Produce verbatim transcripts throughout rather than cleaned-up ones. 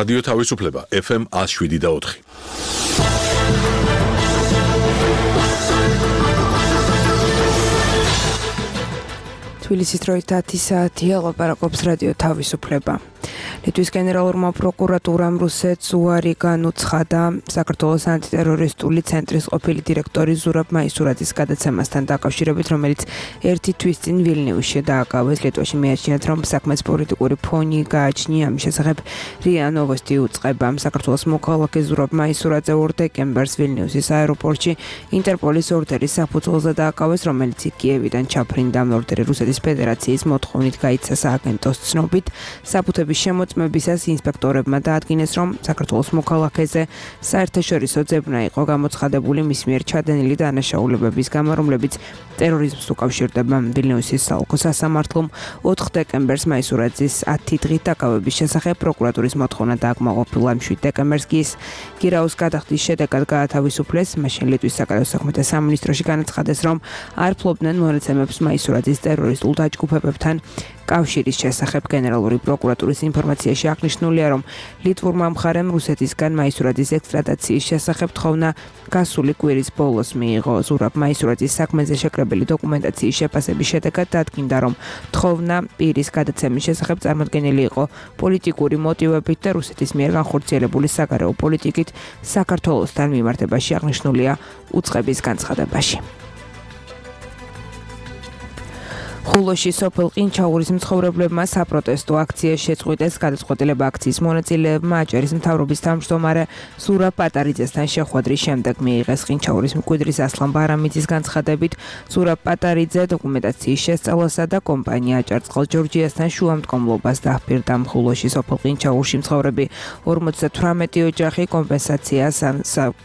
რადიო თავისუფლება ეფ ემ one oh seven და four. თბილისის დროით ათი საათია, ლაპარაკობს რადიო თავისუფლება. ლიტვის გენერალურმა პროკურატურამ რუსეთს უარი განუცხადა საქართველოს ანტიტერორისტული ცენტრის ყოფილი დირექტორი ზურაბ მაისურაძის გადაცემასთან დაკავშირებით, რომელიც ერთი თვის წინ ვილნიუსში დააკავეს. ლიტვაში მიაჩნიათ, რომ საქმეს პოლიტიკური ფონი გააჩნია. ამის შესახებ რია ნოვოსტი უწყება. საქართველოს მოქალაქე ზურაბ მაისურაძე ორ დეკემბერს ვილნიუსის აეროპორტში ინტერპოლის ორდერის საფუძველზე დააკავეს, რომელიც კიევიდან ჩაფრინდა. ორდერი რუსეთის ფედერაციის მოთხოვნით გაიცა სააგენტოს ცნობით. საფუთების შემოწმებისას ინსპექტორებმა დაადგინეს, რომ საქართველოს მოქალაქეზე საერთაშორისო ძებნა იყო გამოცხადებული მის მიერ ჩადენილი დანაშაულებების გამო, რომლებიც ტერორიზმს უკავშირდება. ვილნიუსის საოლქო სასამართლომ ოთხ დეკემბერს მაისურაძის ათი დღით დაკავების შესახებ პროკურატურის მოთხოვნა დააკმაყოფილა. შვიდ დეკემბერს კი ის გირაოს გადახდის შედეგად გაათავისუფლეს. მაშინ ლიტვის საკადრო საქმეთა სამინისტროში განაცხადეს, რომ არ ფლობდნენ მონაცემებს მაისურაძის ტერორისტულ დაჯგუფებებთან კავშირის შესახებ. გენერალური პროკურატურის ინფორმაციაში აღნიშნულია, რომ ლიტვურმა მხარემ რუსეთისგან მაისურაძის ექსტრადიციის შესახებ თხოვნა გასული კვირის ბოლოს მიიღო. ზურაბ მაისურაძის საქმეზე შეკრებილი დოკუმენტაციის შეფასების შედეგად დადგინდა, რომ თხოვნა პირის გადაცემის შესახებ წარმოდგენილი იყო პოლიტიკური მოტივებით და რუსეთის მიერ განხორციელებული საგარეო პოლიტიკით საქართველოსთან მიმართებაში აღნიშნულია უწყების განცხადებაში. ხულოში სოფელ ყინჩაურის მცხოვრებლებმა საპროტესტო აქცია შეწყვიტეს. გადაწყვეტილება აქციის მონაწილეებმა აჭარის მთავრობის თავმჯდომარე ზურაბ პატარიძესთან შეხვედრის შემდეგ მიიღეს. ყინჩაურის მკვიდრის ასლან ბარამიძის განცხადებით, ზურაბ პატარიძე დოკუმენტაციის შესწავლასა და კომპანია აჭარწყალ ჯორჯიასთან შუამდგომლობას დაჰპირდა. ხულოში სოფელ ყინჩაურში მცხოვრები ორმოცდათვრამეტი ოჯახი კომპენსაციას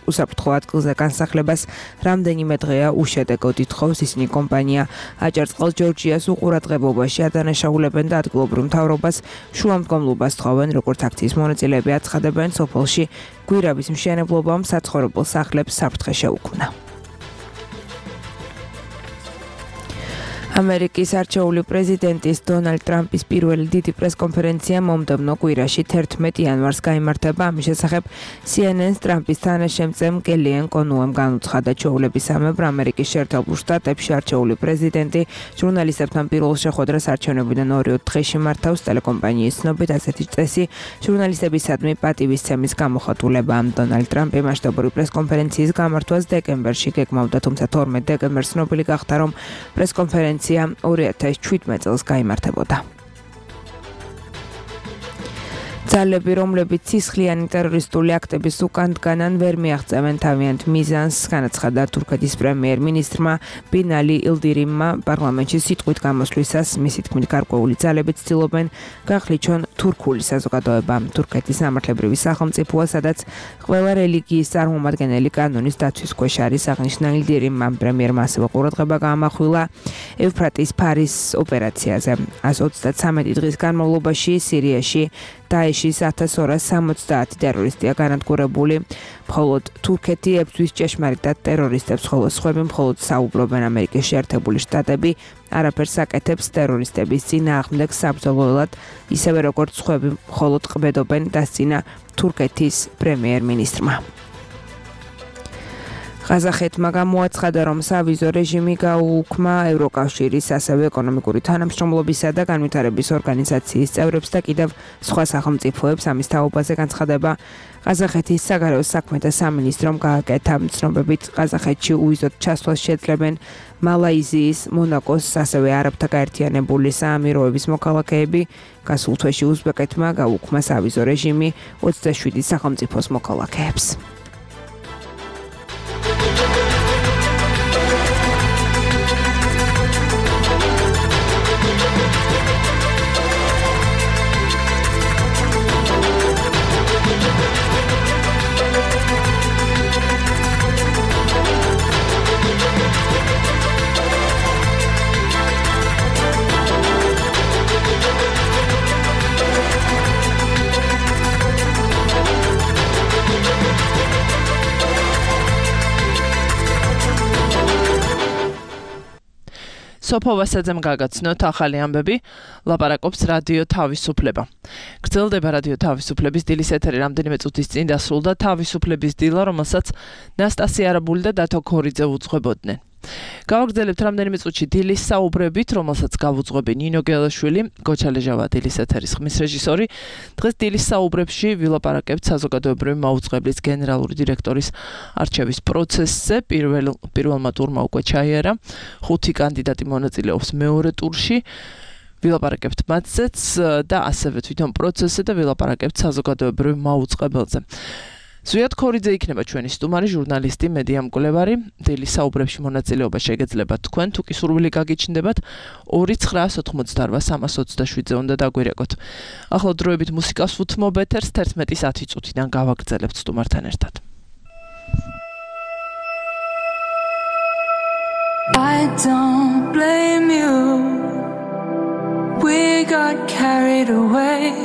უსაფრთხო ადგილზე განსახლებას რამდენიმე დღეა უშედეგოდ ითხოვს. ისინი კომპანია აჭარწყალ ჯორჯიას უყურადღებობაში ადანაშაულებენ და ადგილობრივ მთავრობას შუამდგომლობას თხოვენ. როგორც აქციის მონაწილეები აცხადებენ, სოფელში გვირაბის მშენებლობამ საცხოვრებელ სახლებს საფრთხე შეუქმნა. ამერიკის არჩეული პრეზიდენტის დონალდ ტრამპის პირველი დიდი პრესკონფერენცია მომდევნო კვირაში თერთმეტ იანვარს გაიმართება. ამის შესახებ სი ენ ენ-ს ტრამპის თანაშემწემ კელიენ კონუემ განუცხადა, ჩვეულებისამებრ ამერიკის შეერთებულ შტატებში არჩეული პრეზიდენტი ჟურნალისტებთან პირველ შეხვედრას არჩევნებიდან ორი დღეში მართავს. ტელეკომპანიის ცნობით, ასეთი წესი ჟურნალისტებისადმი პატივისცემის გამოხატულება. დონალდ ტრამპი მასშტაბური პრესკონფერენციის გამართვას დეკემბერში გეგმავდა, თუმცა თორმეტ დეკემბერს ცნობილი გახდა, რომ პრესკონფერენცია ორი ათას შვიდმეტ წელს გაიმართებოდა. ძალები, რომლებიც სისხლიანი ტერორისტული აქტების უკან დგანან, ვერ მიაღწევენ თავიანთ მიზანს, განაცხადა თურქეთის პრემიერ-მინისტრმა ბინალი ილდირიმმა პარლამენტში სიტყვით გამოსვლისას. მისი თქმით, გარკვეული ძალები ცდილობენ გახლიჩონ თურქული საზოგადოება. თურქეთის სამართლებრივი სახელმწიფოა, სადაც ყველა რელიგიის წარმომადგენელი კანონის დაცვის ქვეშ არის, აღნიშნა ილდირიმმა. პრემიერმა ასევე ყურადღება გაამახვილა ევფრატის ფარის ოპერაციაზე. ასი ოცდათრამეტი დღის განმავლობაში სირიაში დაეშის ათას ორას სამოცდაათი ტერორისტია განადგურებული. მხოლოდ თურქეთი ებრძვის ჭეშმარიტად ტერორისტებს, ხოლო სხვები მხოლოდ საუბრობენ. ამერიკის შეერთებული შტატები არაფერს აკეთებს ტერორისტების წინააღმდეგ საბრძოლველად, ისევე როგორც სხვები მხოლოდ ყბედობენ, დასწინა თურქეთის პრემიერ-მინისტრმა. ყაზახეთმა გამოაცხადა, რომ სავიზო რეჟიმი გაუუქმა ევროკავშირის, ასევე ეკონომიკური თანამშრომლობისა და განვითარების ორგანიზაციის წევრებს და კიდევ სხვა სახელმწიფოებს. ამის თაობაზე განცხადება ყაზახეთის საგარეო საქმეთა სამინისტრომ გააკეთა. ცნობებით, ყაზახეთში უვიზოდ ჩასვლას შეძლებენ მალაიზიის, მონაკოს, ასევე არაბთა გაერთიანებული საამიროების მოქალაქეები. გასულ თვეში უზბეკეთმა გაუქმა სავიზო რეჟიმი ოცდაშვიდი სახელმწიფოს მოქალაქეებს. სოფო ვასაძემ გაგაცნოთ ახალი ამბები, ლაპარაკობს რადიო თავისუფლება. გრძელდება რადიო თავისუფლების დილის ეთერი რამდენიმე წუთის წინ დასრულდა თავისუფლების დილა, რომელსაც ნასტასია არაბული და დათო ქორიძე უძღვებოდნენ. გავაგრძელებთ რამდენიმე წუთში დილის საუბრებით, რომელსაც გავუძღვები ნინო გელაშვილი, გოჩა ლეჟავა დილის ეთერის ხმის რეჟისორი. დღეს დილის საუბრებში ვილაპარაკებთ საზოგადოებრივი მაუწყებლის გენერალური დირექტორის არჩევის პროცესზე. პირველ პირველმა ტურმა უკვე ჩაიარა. ხუთი კანდიდატი მონაწილეობს მეორე ტურში. ვილაპარაკებთ მათზეც და ასევე თვითონ პროცესზე და ვილაპარაკებთ საზოგადოებრივ მაუწყებელზე. ზვიად ქორიძე იქნება ჩვენი სტუმარი, ჟურნალისტი, მედია მკვლევარი. დილის საუბრებში მონაწილეობა შეგეძლებათ თქვენ, თუ კი სურვილი გაგიჩნდებათ, ორი ცხრაას ოთხმოცდაორ სამას ოცდაშვიდზე უნდა დაგვირეკოთ. ახლა დროებით მუსიკას უთმობ ეთერს თერთმეტის ათი წუთიდან გავაგრძელებთ სტუმართან ერთად. I don't blame you. We got carried away.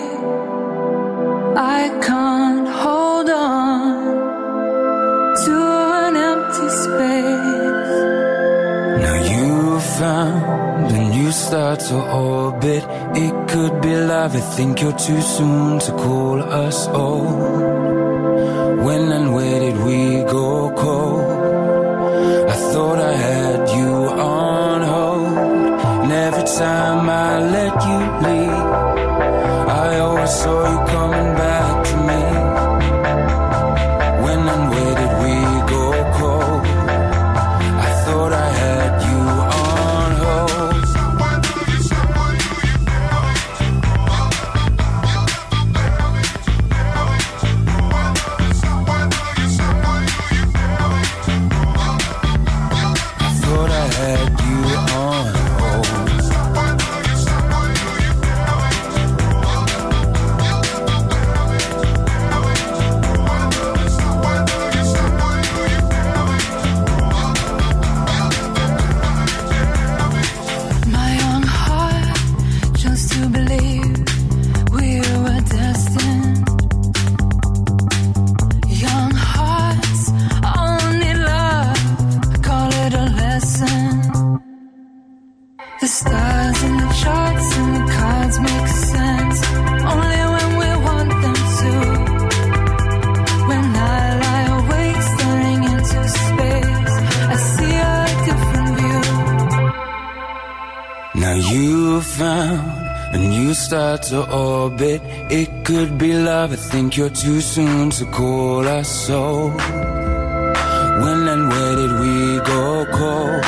I can't hold on to an empty space. Now you found a new star to orbit. It could be love. I think you're too soon to call us old. When and where did we go cold? I thought I had you on hold, and every time I let you leave, I always saw you coming back to me. When and where did we go cold? I thought I had you on hold. I thought I had you on hold. To orbit, it could be love. I think you're too soon to call us so. When and where did we go cold?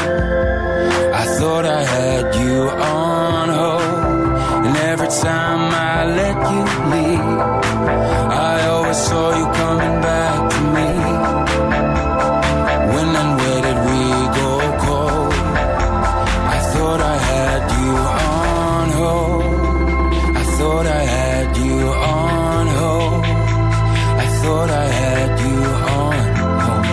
I thought I had you on hold, and every time I let you leave, I always saw you coming back to me. When and where did we go cold? I thought I had you on hold. I thought I had you on hold. I thought I had you on hold.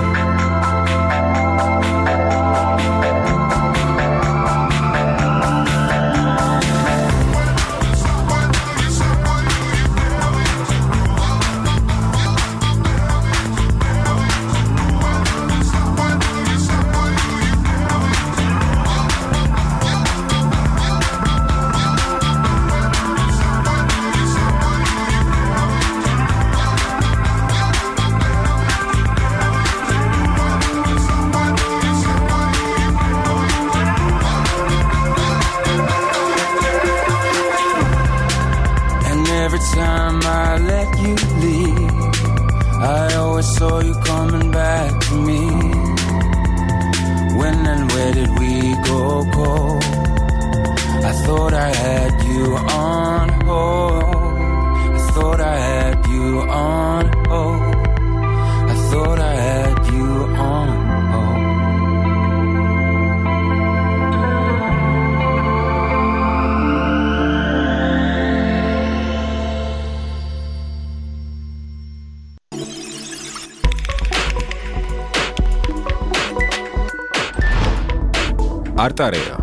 არტარეა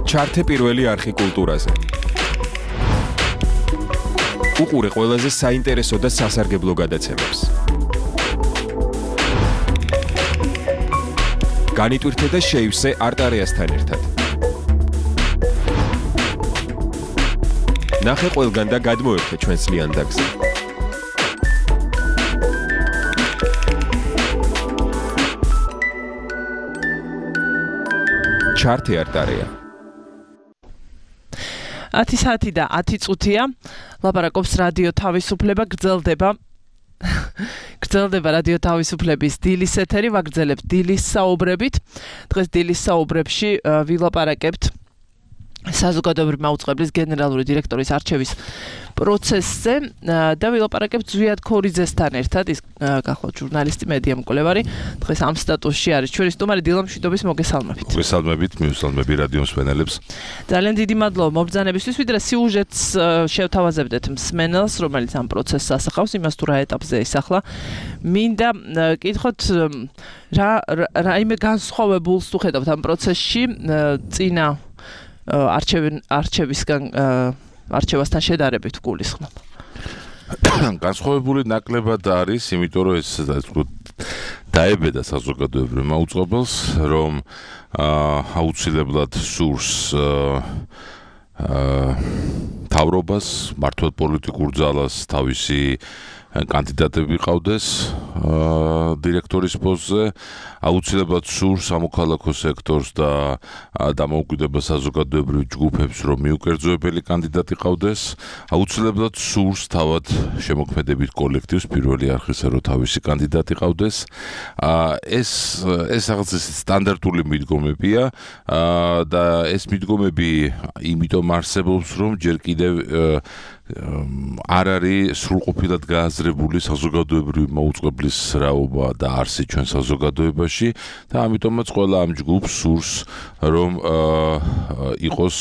ჩართე პირველი არხი კულტურაზე. უყურე ყველაზე საინტერესო და სასარგებლო გადაცემებს. განიტვირთე და შეივსე არტარეასთან ერთად. ნახე ყველგან და გადმოერთე ჩვენს ლიანდაგზე. ჩარტი არტარია. ათი საათი და ათი წუთია. ლაპარაკობს რადიო თავისუფლება, გრძელდება გრძელდება რადიო თავისუფლების დილის ეთერი, ვაგრძელებთ დილის საუბრებით. დღეს დილის საუბრებში ვილაპარაკებთ საზოგადოებრივი მაუწყებლის გენერალური დირექტორის არჩევის პროცესზე და ვილაპარაკებთ ზვიად ქორიძესთან ერთად, ის გახლავთ ჟურნალისტი, მედია მკვლევარი. დღეს ამ სტატუსში არის ჩვენი სტუმარი დილა მშვიდობის, მოგესალმებით. მოგესალმებით, მივესალმები რადიო მსმენელებს. ძალიან დიდი მადლობა მობრძანებისთვის, ვიდრე სიუჟეტს შევთავაზებდეთ მსმენელს, რომელიც ამ პროცესს ასახავს, იმას თუ რა ეტაპზე ისახლა. მინდა კითხოთ რა რაიმე განსხვავებულს თუ ხედავთ ამ პროცესში წინა არჩევისგან არჩევასთან შედარებით გულისხმობ. განსხვავებული ნაკლებად არის, იმიტომ რომ ეს დაებედა საზოგადოებრივ მაუწყებელს, რომ აუცილებლად სურს თავრობას, მართლად პოლიტიკურ ძალას თავისი კანდიდატები ყავდეს დირექტორის პოსტზე, აუცილებლად სურს სამოქალაქო სექტორს და დამოუკიდებელ საზოგადოებრივ ჯგუფებს, რომ მიუკერძოებელი კანდიდატი ყავდეს, აუცილებლად სურს თავად შემოქმედებით კოლექტივს პირველი არხისა, რომ თავისი კანდიდატი ყავდეს. ეს ეს რაღაც სტანდარტული მიდგომებია და ეს მიდგომები იმიტომ არსებობს, რომ ჯერ კიდევ არ არის სრულყოფილად გააზრებული საზოგადოებრივი მაუწყებლის რაობა და არსი ჩვენ საზოგადოებაში და ამიტომაც ყველა ამ ჯგუფს სურს, რომ იყოს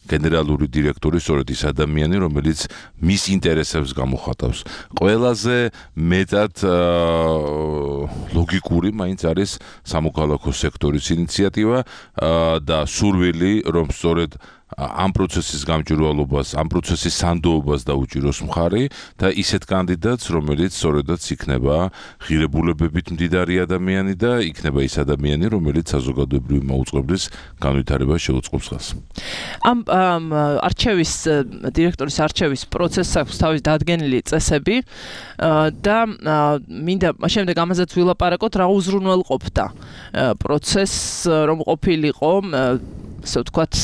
გენერალური დირექტორი, სწორედ ის ადამიანი, რომელიც მის ინტერესებს გამოხატავს. ყველაზე მეტად ლოგიკური მაინც არის სამოქალაქო სექტორის ინიციატივა და სურვილი, რომ სწორედ ამ პროცესის გამჭვირვალობას, ამ პროცესის სანდოობას დაუჭიროს მხარი და ისეთ კანდიდატს, რომელიც სწორედაც იქნება ღირებულებებით მდიდარი ადამიანი და იქნება ის ადამიანი, რომელიც საზოგადოებრივი მაუწყებლის განვითარებას შეუწყობს ხელს. ამ არჩევის დირექტორის არჩევის პროცესს აქვს თავის დადგენილი წესები და მინდა შემდეგ ამაზეც ვილაპარაკოთ, რა უზრუნველყოფდა პროცესს, რომ ყოფილიყო, ასე ვთქვათ,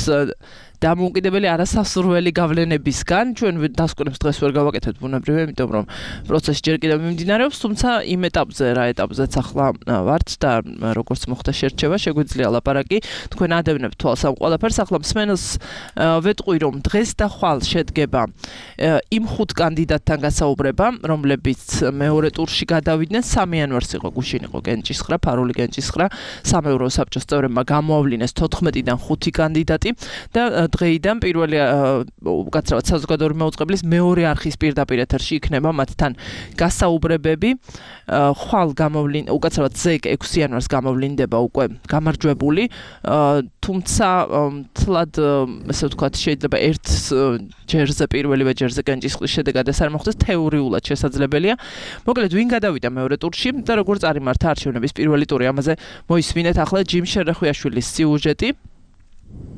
დამოუკიდებელი არასასურველი გავლენებისგან. ჩვენ დასკვნებს დღეს ვერ გავაკეთებთ ბუნებრივია, იმიტომ რომ პროცესი ჯერ კიდევ მიმდინარეობს, თუმცა იმ ეტაპზე, რა ეტაპზეც ახლა ვართ და როგორც მოხდა შერჩევა, შეგვიძლია ლაპარაკი. თქვენ ადევნებთ თვალს ამ ყველაფერს. ახლა მსმენელს ვეტყვი, რომ დღეს და ხვალ შედგება იმ ხუთ კანდიდატთან გასაუბრება, რომლებიც მეორე ტურში გადავიდნენ. სამი იანვარს იყო გუშინ იყო კენჭისხრა, ფარული კენჭისხრა, სამეურვეო საბჭოს წევრებმა გამოავლინეს თოთხმეტიდან ხუთი კანდიდატი და დღეიდან პირველი უკაცრავად საზოგადოებრივი მაუწყებლის მეორე არხის პირდაპირ ეთერში იქნება მათთან გასაუბრებები. ხვალ გამოვლინ უკაცრავად ზეკ ექვსი იანვარს გამოვლინდება უკვე გამარჯვებული, თუმცა თლად ასე ვთქვათ შეიძლება ერთ ჯერზე პირველივე ჯერზე კენჭისყრის შედეგად ეს არ მოხდეს, თეორიულად შესაძლებელია. მოკლედ ვინ გადავიდა მეორე ტურში და როგორ წარიმართა არჩევნების პირველი ტური, ამაზე მოისმინეთ ახლა ჯიმ შერეხვიაშვილის სიუჟეტი.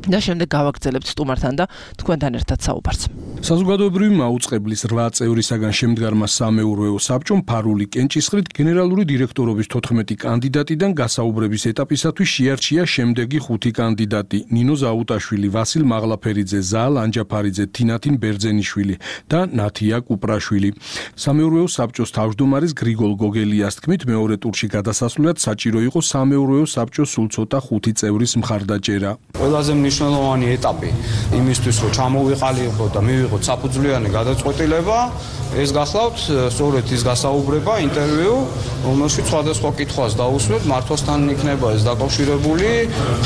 და შემდეგ გავაგრძელებთ სტუმართან და თქვენთან ერთად საუბარს. საზოგადოებრივი მაუწყებლის რვა წევრისაგან შემდგარმა სამეურვეო საბჭომ ფარული კენჭისყრით გენერალური დირექტორობის თოთხმეტი კანდიდატიდან გასაუბრების ეტაპისათვის შეარჩია შემდეგი ხუთი კანდიდატი: ნინო ზაუტაშვილი, ვასილ მაღლაფერიძე, ზაალ ანჯაფარიძე, თინათინ ბერძენიშვილი და ნათია კუპრაშვილი. სამეურვეო საბჭოს თავმჯდომარის გრიგოლ გოგელიას თქმით, მეორე ტურში გადასასვლელად საჭირო იყო სამეურვეო საბჭოს სულ ცოტა ხუთი წევრის მხარდაჭერა. ყველაზე მნიშვნელოვანი ეტაპი იმისთვის, რომ ჩამოვიყალიყო და მივიღოთ საფუძვლიანი გადაწყვეტილება, ეს გახლავთ სწორედ ის გასაუბრება, ინტერვიუ, რომელშიც სხვადასხვა კითხვას დაუსვებთ, მართვასთან იქნება ეს დაკავშირებული,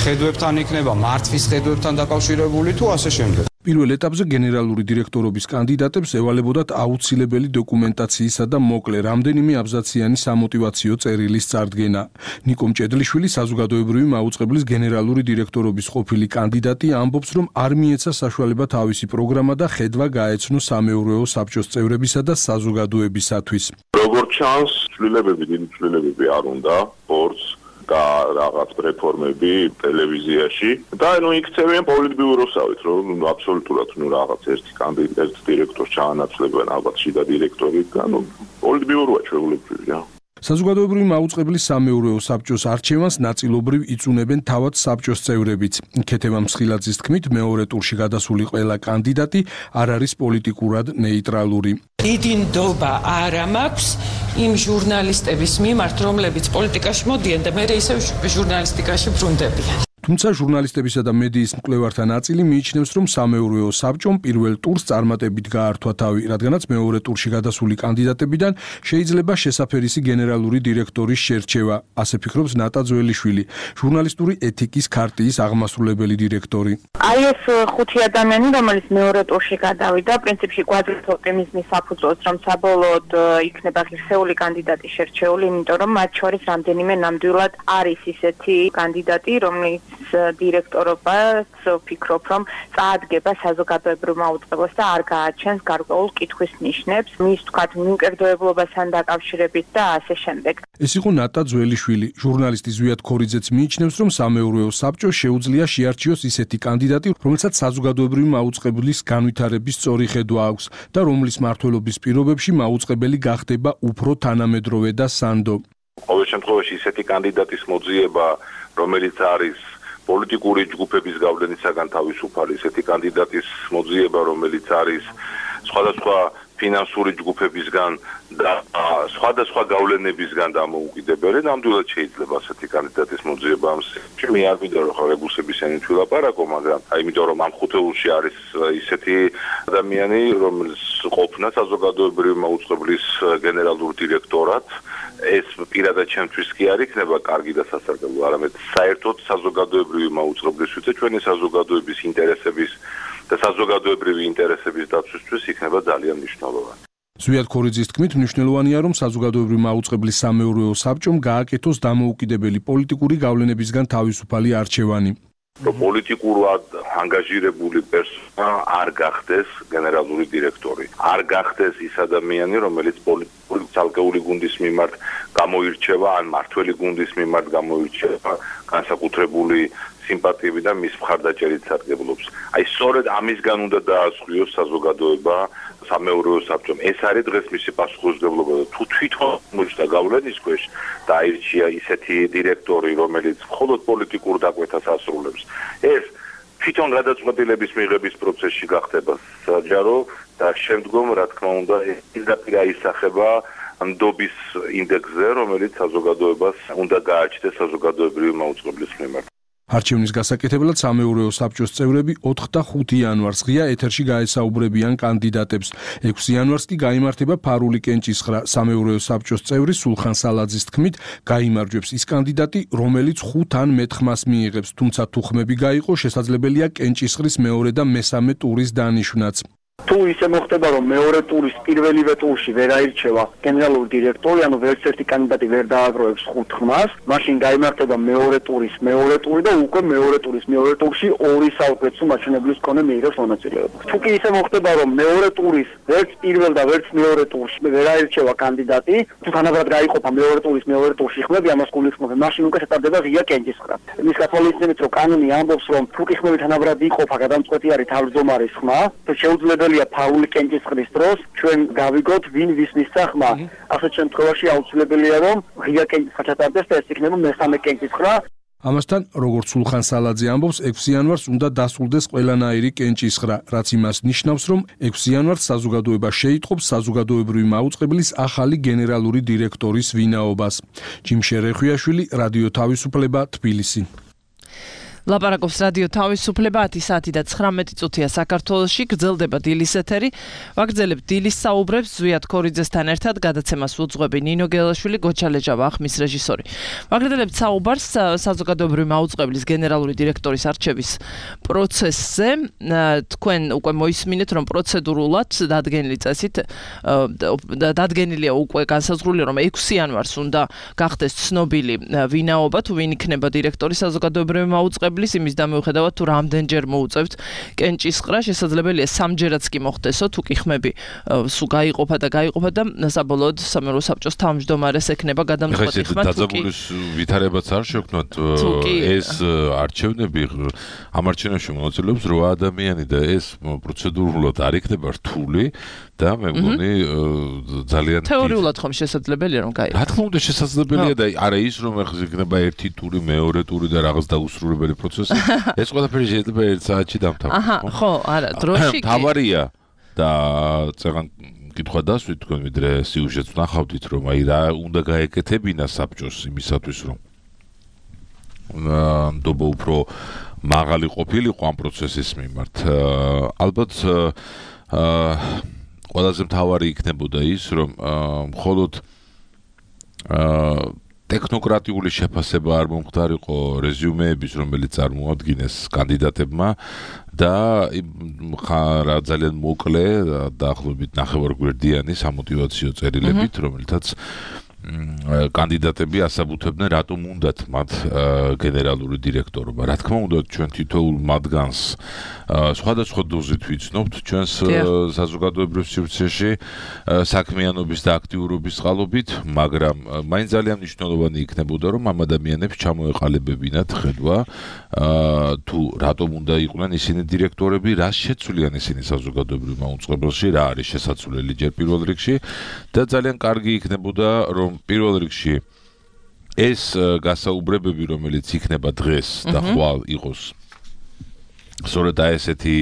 ხედვებთან იქნება, მართვის ხედვებთან დაკავშირებული თუ ასე შემდეგ. პირველ ეტაპზე გენერალური დირექტორობის კანდიდატებს ევალებოდათ აუცილებელი დოკუმენტაციისა და მოკლე რამდენიმე აბზაციანი სამოტივაციო წერილის წარდგენა. ნიკო მჭედლიშვილი, საზოგადოებრივი მაუწყებლის გენერალური დირექტორობის ყოფილი კანდიდატი, ამბობს, რომ არ მიეცა საშუალება თავისი პროგრამა და ხედვა გაეცნო სამეურვეო საბჭოს წევრებისა და საზოგადოებისათვის. როგორც ჩანს, ცვლილებები, დიდი ცვლილებები არ უნდა, ბორცს და რაღაც რეფორმები ტელევიზიაში და ნუ იქცევიან პოლიტბიუროსავით, რომ აბსოლუტურად ნუ რაღაც ერთი კანდიდატი, ერთ დირექტორს ჩაანაცვლებენ ალბათ შიდა დირექტორი და ნუ პოლიტბიუროა ჩვეულებრივია. საზოგადოებრივი მაუწყებლის სამეურვეო საბჭოს არჩევანს ნაწილობრივ იწუნებენ თავად საბჭოს წევრებიც. ქეთევან მსხილაძის თქმით, მეორე ტურში გადასული ყველა კანდიდატი არ არის პოლიტიკურად ნეიტრალური. დიდი ნდობა არ მაქვს იმ ჟურნალისტების მიმართ, რომლებიც პოლიტიკაში მოდიან და მერე ისევ ჟურნალისტიკაში ბრუნდებიან. თუმცა ჟურნალისტებისა და მედიის მკვლევართა ნაწილი მიიჩნევს, რომ სამეურვეო საბჭომ პირველ ტურს წარმატებით გაართვა თავი, რადგანაც მეორე ტურში გადასული კანდიდატებიდან შეიძლება შესაფერისი გენერალური დირექტორის შერჩევა, ასე ფიქრობს ნატა ძველიშვილი, ჟურნალისტური ეთიკის ქარტიის აღმასრულებელი დირექტორი. აი ეს ხუთი ადამიანი, რომელიც მეორე ტურში გადავიდა, პრინციპში კვადრატ ოპტიმიზმის საფუძველს, რომ საბოლოოდ იქნება ღირსეული კანდიდატი შერჩეული, იმიტომ რომ მათ შორის რამდენიმე ნამდვილად არის ისეთი კანდიდატი, რომელიც დირექტორობას ვფიქრობ, რომ წაადგება საზოგადოებრივ მაუწყებლობას და არ გააჩენს გარკვეულ კითხვის ნიშნებს, მის თქვათ მიმკერდოებლობასთან დაკავშირებით და ასე შემდეგ. ეს იყო ნატა ძველიშვილი, ჟურნალისტი ზვიად ქორიძეც მიიჩნევს, რომ სამეურვეო საბჭოს შეუძლია შეარჩიოს ისეთი კანდიდატი, რომელსაც საზოგადოებრივი მაუწყებლის განვითარების სწორი ხედვა აქვს და რომლის მმართველობის პირობებში მაუწყებელი გახდება უფრო თანამედროვე და სანდო. ყოველ შემთხვევაში ისეთი კანდიდატის მოძიება, რომელიც არის პოლიტიკური ჯგუფების გავლენისაგან თავისუფალი, ისეთი კანდიდატის მოძიება, რომელიც არის სხვადასხვა ფინანსური ჯგუფებისგან და სხვადასხვა გავლენებისგან დამოუკიდებელი, ნამდვილად შეიძლება ასეთი კანდიდატის მოძიება. მე არ ვიდეო ხო რეგულსების ენი თუ ლაპარაკო, მაგრამ აი იმიტომ რომ ამ ხუთეულში არის ისეთი ადამიანი, რომელიც ყოფნა საზოგადოებრივი მაუწყებლის გენერალურ დირექტორად, ეს პირადად ჩემთვის კი არ იქნება კარგი და სასარგებლო, არამედ საერთოდ საზოგადოებრივი მაუწყებლისთვის და ჩვენი საზოგადოების ინტერესების და საზოგადოებრივი ინტერესების დაცვისთვის იქნება ძალიან მნიშვნელოვანი. ზვიად ქორიძის თქმით, მნიშვნელოვანია, რომ საზოგადოებრივი მაუწყებლის სამეურვეო საბჭომ გააკეთოს დამოუკიდებელი პოლიტიკური გავლენებისგან თავისუფალი არჩევანი. პოლიტიკურად ანგაჟირებული პერსონა არ გახდეს გენერალური დირექტორი. არ გახდეს ის ადამიანი, რომელიც პოლიტიკური ცალკეული გუნდის მიმართ გამოირჩევა, ან მართველი გუნდის მიმართ გამოირჩევა განსაკუთრებული სიმპათიები და მის მხარდაჭერით სარგებლობს. აი სწორედ ამისგან უნდა დაასხვიოს საზოგადოება სამეურვეო საბჭომ. ეს არის დღეს მისი პასუხისმგებლობა და თუ თვითონ მოჭდა გავლენის ქვეშ და აირჩია ისეთი დირექტორი, რომელიც მხოლოდ პოლიტიკურ დაკვეთას ასრულებს, ეს თვითონ გადაწყვეტილების მიღების პროცესში გახდება საჯარო და შემდგომ, რა თქმა უნდა, პირდაპირ აისახება ნდობის ინდექსზე, რომელიც საზოგადოებას უნდა გააჩნდეს საზოგადოებრივი მაუწყებლის მიმართ. არჩევნის გასაკეთებლად სამეურვეო საბჭოს წევრები ოთხ და ხუთი იანვარს ღია ეთერში გაესაუბრებიან კანდიდატებს. ექვსი იანვარს კი გაიმართება ფარული კენჭისხრა. სამეურვეო საბჭოს წევრი სულხან სალაძის თქმით, გაიმარჯვებს ის კანდიდატი, რომელიც ხუთ ან მეტ ხმას მიიღებს, თუმცა თუ ხმები გაიყო, შესაძლებელია კენჭისხრის მეორე და მესამე ტურის დანიშვნაც. თუ ისე მოხდება, რომ მეორე ტურის პირველივე ტურში ვერ აირჩევა გენერალური დირექტორი, ანუ ვერც ერთი კანდიდატი ვერ დააგროვებს ხუთ ხმას, მაშინ გაიმართება მეორე ტურის მეორე ტური და უკვე მეორე ტურის მეორე ტურში ორი საუკეთესო მაჩვენებლის მქონე მიიღებს მონაწილეობა. თუ კი ისე მოხდება, რომ მეორე ტურის ვერც პირველ და ვერც მეორე ტურში ვერ აირჩევა კანდიდატი, თუ თანაბრად გაიყოფა მეორე ტურის მეორე ტურში ხმები, ამას გულისხმობენ, მაშინ უკვე შეტარდება ღია კენჭისხრა. მის გათვალისწინებით, რომ კანონი ამბობს, რომ თუ კი ხმები თანაბრად იყოფა, გადამწყვეტი არის თავმჯდომარის ხმა, თუ შეუძლებელი ფარული კენჭისყრის დროს ჩვენ გავიგოთ ვინ ვის მისცა ხმა. ასეთ შემთხვევაში აუცილებელია რომ ღია კენჭისყრა ჩატარდეს და ეს იქნება მესამე კენჭისყრა. ამასთან, როგორც სულხან სალაძე ამბობს, ექვსი იანვარს უნდა დასრულდეს ყველანაირი კენჭისყრა, რაც იმას ნიშნავს, რომ ექვსი იანვარს საზოგადოება შეიტყობს საზოგადოებრივი მაუწყებლის ახალი გენერალური დირექტორის ვინაობას. ჯიმ შერეხვიაშვილი, რადიო თავისუფლება, თბილისი. ლაპარაკობს რადიო თავისუფლება ათი საათი და ცხრამეტი წუთია საქართველოში, გრძელდება დილის ეთერი. ვაგრძელებთ დილის საუბრებს ზვიად ქორიძესთან ერთად, გადაცემას უძღვები ნინო გელაშვილი, გოჩა ლეჯავა, ხმის რეჟისორი. ვაგრძელებთ საუბარს საზოგადოებრივი მაუწყებლის გენერალური დირექტორის არჩევის პროცესზე. თქვენ უკვე მოისმინეთ, რომ პროცედურულად დადგენილი წესით დადგენილია უკვე განსაზღვრული, რომ ექვსი იანვარს უნდა გახდეს ცნობილი ვინაობა, თუ ვინ იქნება დირექტორი საზოგადოებრივი მაუწყებლის შეუძლებლის იმის და მიუხედავად თუ რამდენჯერ მოუწევთ კენჭისყრა, შესაძლებელია სამჯერაც კი მოხდესო, თუ კი ხმები სულ გაიყოფა და გაიყოფა და საბოლოოდ სამეურვეო საბჭოს თავმჯდომარეს ექნება გადამწყვეტი ხმა. დაძაბულის ვითარებაც არ შექმნათ ეს არჩევნები ამ არჩევნებში მონაწილეობს რვა ადამიანი და ეს პროცედურულად არ იქნება რთული და მე მგონი ძალიან თეორიულად ხომ შესაძლებელია რომ გაიგო. რა თქმა უნდა შესაძლებელია და არა ის რომ ეხლა იქნება ერთი ტური, მეორე ტური და რაღაც დაუსრულებელი პროცესი. ეს ყველაფერი შეიძლება ერთ საათში დამთავრდეს. აჰა, ხო, არა, დროში კი. თავარია და წეგან კითხვა დასვით თქვენ ვიდრე სიუჟეტს ვნახავდით რომ აი რა უნდა გაეკეთებინა საბჭოს იმისათვის რომ ნდობა უფრო მაღალი ყოფილიყო ამ პროცესის მიმართ. ალბათ აა ყველაზე მთავარი იქნებოდა ის, რომ მხოლოდ ტექნოკრატიული შეფასება არ მომხდარიყო რეზიუმეების, რომელიც წარმოადგენს კანდიდატებმა და რა ძალიან მოკლე დაახლოებით ნახევარგვერდიანი სამოტივაციო წერილებით, რომელთაც კანდიდატები ასაბუთებდნენ რატომ უნდათ მათ გენერალური დირექტორობა. რა თქმა უნდა ჩვენ თითოეულ მათგანს სხვადასხვა დოზით ვიცნობთ ჩვენს საზოგადოებრივ სივრცეში საქმიანობის და აქტიურობის წყალობით, მაგრამ მაინც ძალიან მნიშვნელოვანი იქნებოდა რომ ამ ადამიანებს ჩამოეყალიბებინათ ხედვა თუ რატომ უნდა იყვნენ ისინი დირექტორები, რას შეცვლიან ისინი საზოგადოებრივ მაუწყებელში, რა არის შესაძლებელი ჯერ პირველ რიგში და ძალიან კარგი იქნებოდა რომ პირველ რიგში ეს გასაუბრებები, რომელიც იქნება დღეს და ხვალ იყოს სწორედ ესეთი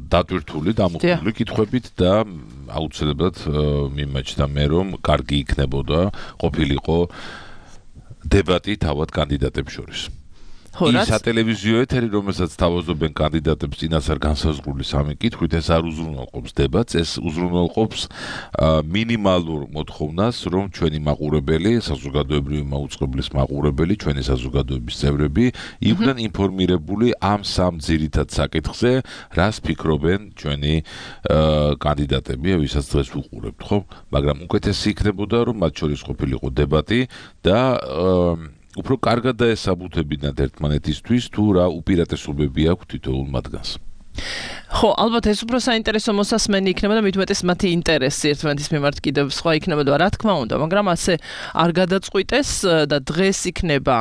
დატვირთული, დამოუკიდებელი კითხვებით და აუცილებლად მიმაჩნდა მე რომ კარგი იქნებოდა ყოფილიყო დებატი თავად კანდიდატებს შორის. ის სატელევიზიო ეთერი, რომელსაც თავაზობენ კანდიდატებს წინასწარ განსაზღვრული სამი კითხვით, ეს არ უზრუნველყოფს დებატს, ეს უზრუნველყოფს მინიმალურ მოთხოვნას, რომ ჩვენი მაყურებელი, საზოგადოებრივი მაუწყებლის მაყურებელი, ჩვენი საზოგადოების წევრები იყვნენ ინფორმირებული ამ სამ ძირითად საკითხზე, რას ფიქრობენ ჩვენი კანდიდატები, ვისაც დღეს ვუყურებთ, ხო? მაგრამ უკეთესი იქნებოდა, რომ მათ შორის ყოფილიყო დებატი და უფრო კარგად დაესაბუთებინათ ერთმანეთისთვის თუ რა უპირატესობები აქვს თითოეულ მათგანს. ხო, ალბათ ეს უფრო საინტერესო მოსასმენი იქნება და მით უმეტეს მათი ინტერესი ერთმანეთის მიმართ კიდევ სხვა იქნება, რა თქმა უნდა, მაგრამ ასე არ გადაწყვიტეს და დღეს იქნება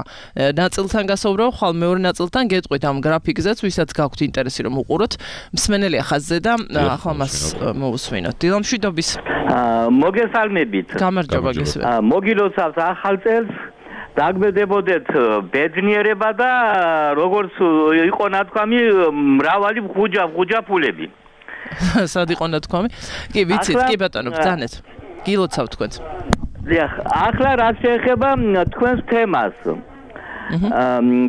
ნაწილთან გასაუბრება, ხვალ მეორე ნაწილთან გეტყვით ამ გრაფიკზეც, ვისაც გაქვთ ინტერესი რომ უყუროთ. მსმენელია ხაზზე და ახლა მას მოусვინოთ. დილამშვიდობის. მოგესალმებით. გამარჯობა გესმენთ. მოგილოცავთ ახალ წელს. დაგბედებოდეთ ბედნიერება და როგორც იყო ნათქვამი მრავალი ხუჯა ხუჯა ფულები. სად იყო ნათქვამი? კი, ვიცით, კი ბატონო, ბრძანეთ. გილოცავ თქვენს. დიახ, ახლა რა შეეხება თქვენს თემას.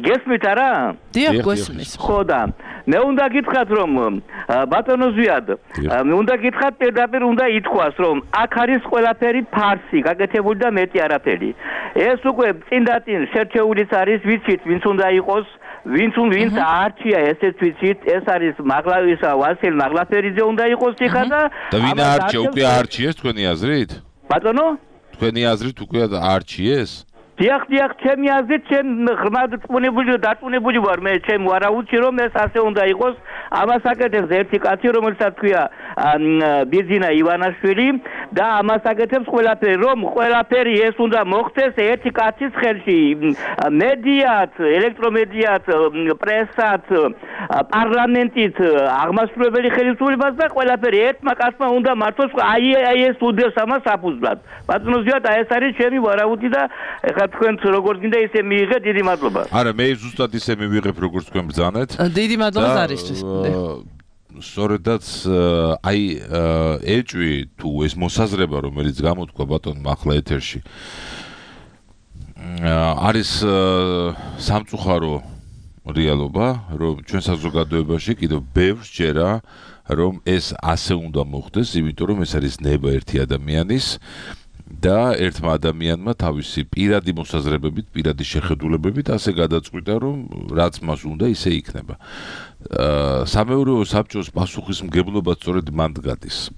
გესმით არა? დიახ, გესმის. ხო და მე უნდა გითხრათ რომ ბატონო ზვიად, მე უნდა გითხრათ პირდაპირ უნდა ითქვას რომ აქ არის ყველაფერი ფარსი, გაკეთებული და მეტი არაფერი. ეს უკვე წინდაწინ შერჩეულიც არის, ვიცით, ვინც უნდა იყოს, ვინც ვინც არჩია ესეც ვიცით, ეს არის მაღლავისა ვასილ მაღლაფერიძე უნდა იყოს იქა და და ვინ არჩია, უკვე არჩიეს თქვენი აზრით? ბატონო? თქვენი აზრით უკვე არჩიეს? დიახ, დიახ, ჩემი აზრით, ჩემ ღრმად წუნებული და დაწუნებული ვარ მე ჩემ ვარაუდში, რომ ეს ასე უნდა იყოს. ამას აკეთებს ერთი კაცი, რომელსაც ქვია ბიძინა ივანაშვილი და ამას აკეთებს ყველაფერი, რომ ყველაფერი ეს უნდა მოხდეს ერთი კაცის ხელში. მედიათ, ელექტრომედიათ, პრესად, პარლამენტით, აღმასრულებელი ხელისუფლებას და ყველაფერი ერთმა კაცმა უნდა მართოს, აი აი ეს უდევს ამას საფუძვლად. ბატონო ზვიად, ეს არის ჩემი ვარაუდი და ეხლა თქვენც როგორც გინდა ისე მიიღეთ, დიდი მადლობა. არა, მე ზუსტად ისე მივიღებ, როგორც თქვენ ბრძანეთ. დიდი მადლობა ზარისთვის. სწორედაც აი ეჭვი თუ ეს მოსაზრება, რომელიც გამოთქვა ბატონმა ახლა ეთერში, არის სამწუხარო რეალობა, რომ ჩვენ საზოგადოებაში კიდევ ბევრს ჯერა, რომ ეს ასე უნდა მოხდეს, იმიტომ რომ ეს არის ნება ერთი ადამიანის და ერთმა ადამიანმა თავისი პირადი მოსაზრებებით, პირადი შეხედულებებით ასე გადაწყვიტა, რომ რაც მას უნდა, ისე იქნება. სამეურვეო საბჭოს პასუხისმგებლობა სწორედ მან გადის.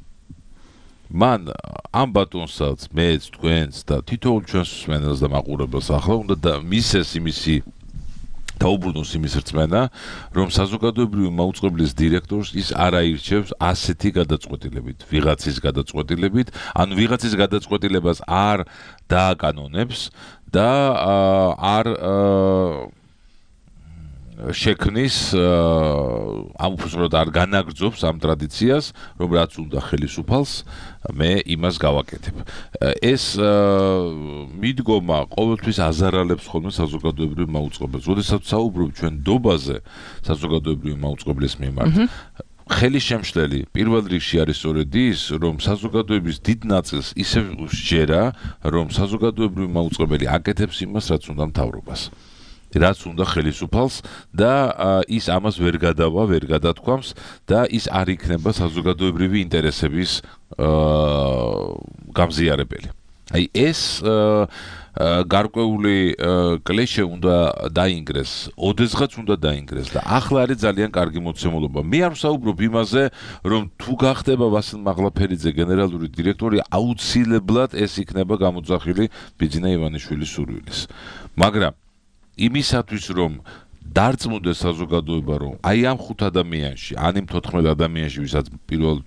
მან ამ ბატონსაც, მეც, თქვენს და თითოეულ ჩვენს მსმენელს და მაყურებელს ახლა უნდა მისცეს იმისი დაუბრუნოს იმის რწმენა, რომ საზოგადოებრივი მაუწყებლის დირექტორს ის არ აირჩევს ასეთი გადაწყვეტილებით, ვიღაცის გადაწყვეტილებით, ანუ ვიღაცის გადაწყვეტილებას არ დააკანონებს და არ შექმნის ამ უბრალოდ არ განაგრძობს ამ ტრადიციას, რომ რაც უნდა ხელისუფალს, მე იმას გავაკეთებ. ეს მიდგომა ყოველთვის აზარალებს ხოლმე საზოგადოებრივ მაუწყებელს. როდესაც საუბრობ ჩვენ დობაზე საზოგადოებრივ მაუწყებლის მიმართ, ხელის შემშლელი პირველ რიგში არის სწორედ ის, რომ საზოგადოების დიდ ნაწილს ისევ შეერა, რომ საზოგადოებრივ მაუწყებელი აკეთებს იმას, რაც უნდა მთავრობას. რაც უნდა ხელისუფალს და ის ამას ვერ გადავა, ვერ გადათქვამს და ის არ იქნება საზოგადოებრივი ინტერესების გამზიარებელი. აი ეს გარკვეული კლეშე უნდა დაინგრეს, ოდესღაც უნდა დაინგრეს და ახლა არის ძალიან კარგი მოცემულობა. მე არ ვსაუბრობ იმაზე, რომ თუ გახდება ვასილ მაღლაფერიძე გენერალური დირექტორი, აუცილებლად ეს იქნება გამოძახილი ბიძინა ივანიშვილის სურვილის. მაგრამ იმისათვის რომ დარწმუნდეს საზოგადოება რომ აი ამ ხუთ ადამიანში, ან იმ თოთხმეტ ადამიანში, ვისაც პირველ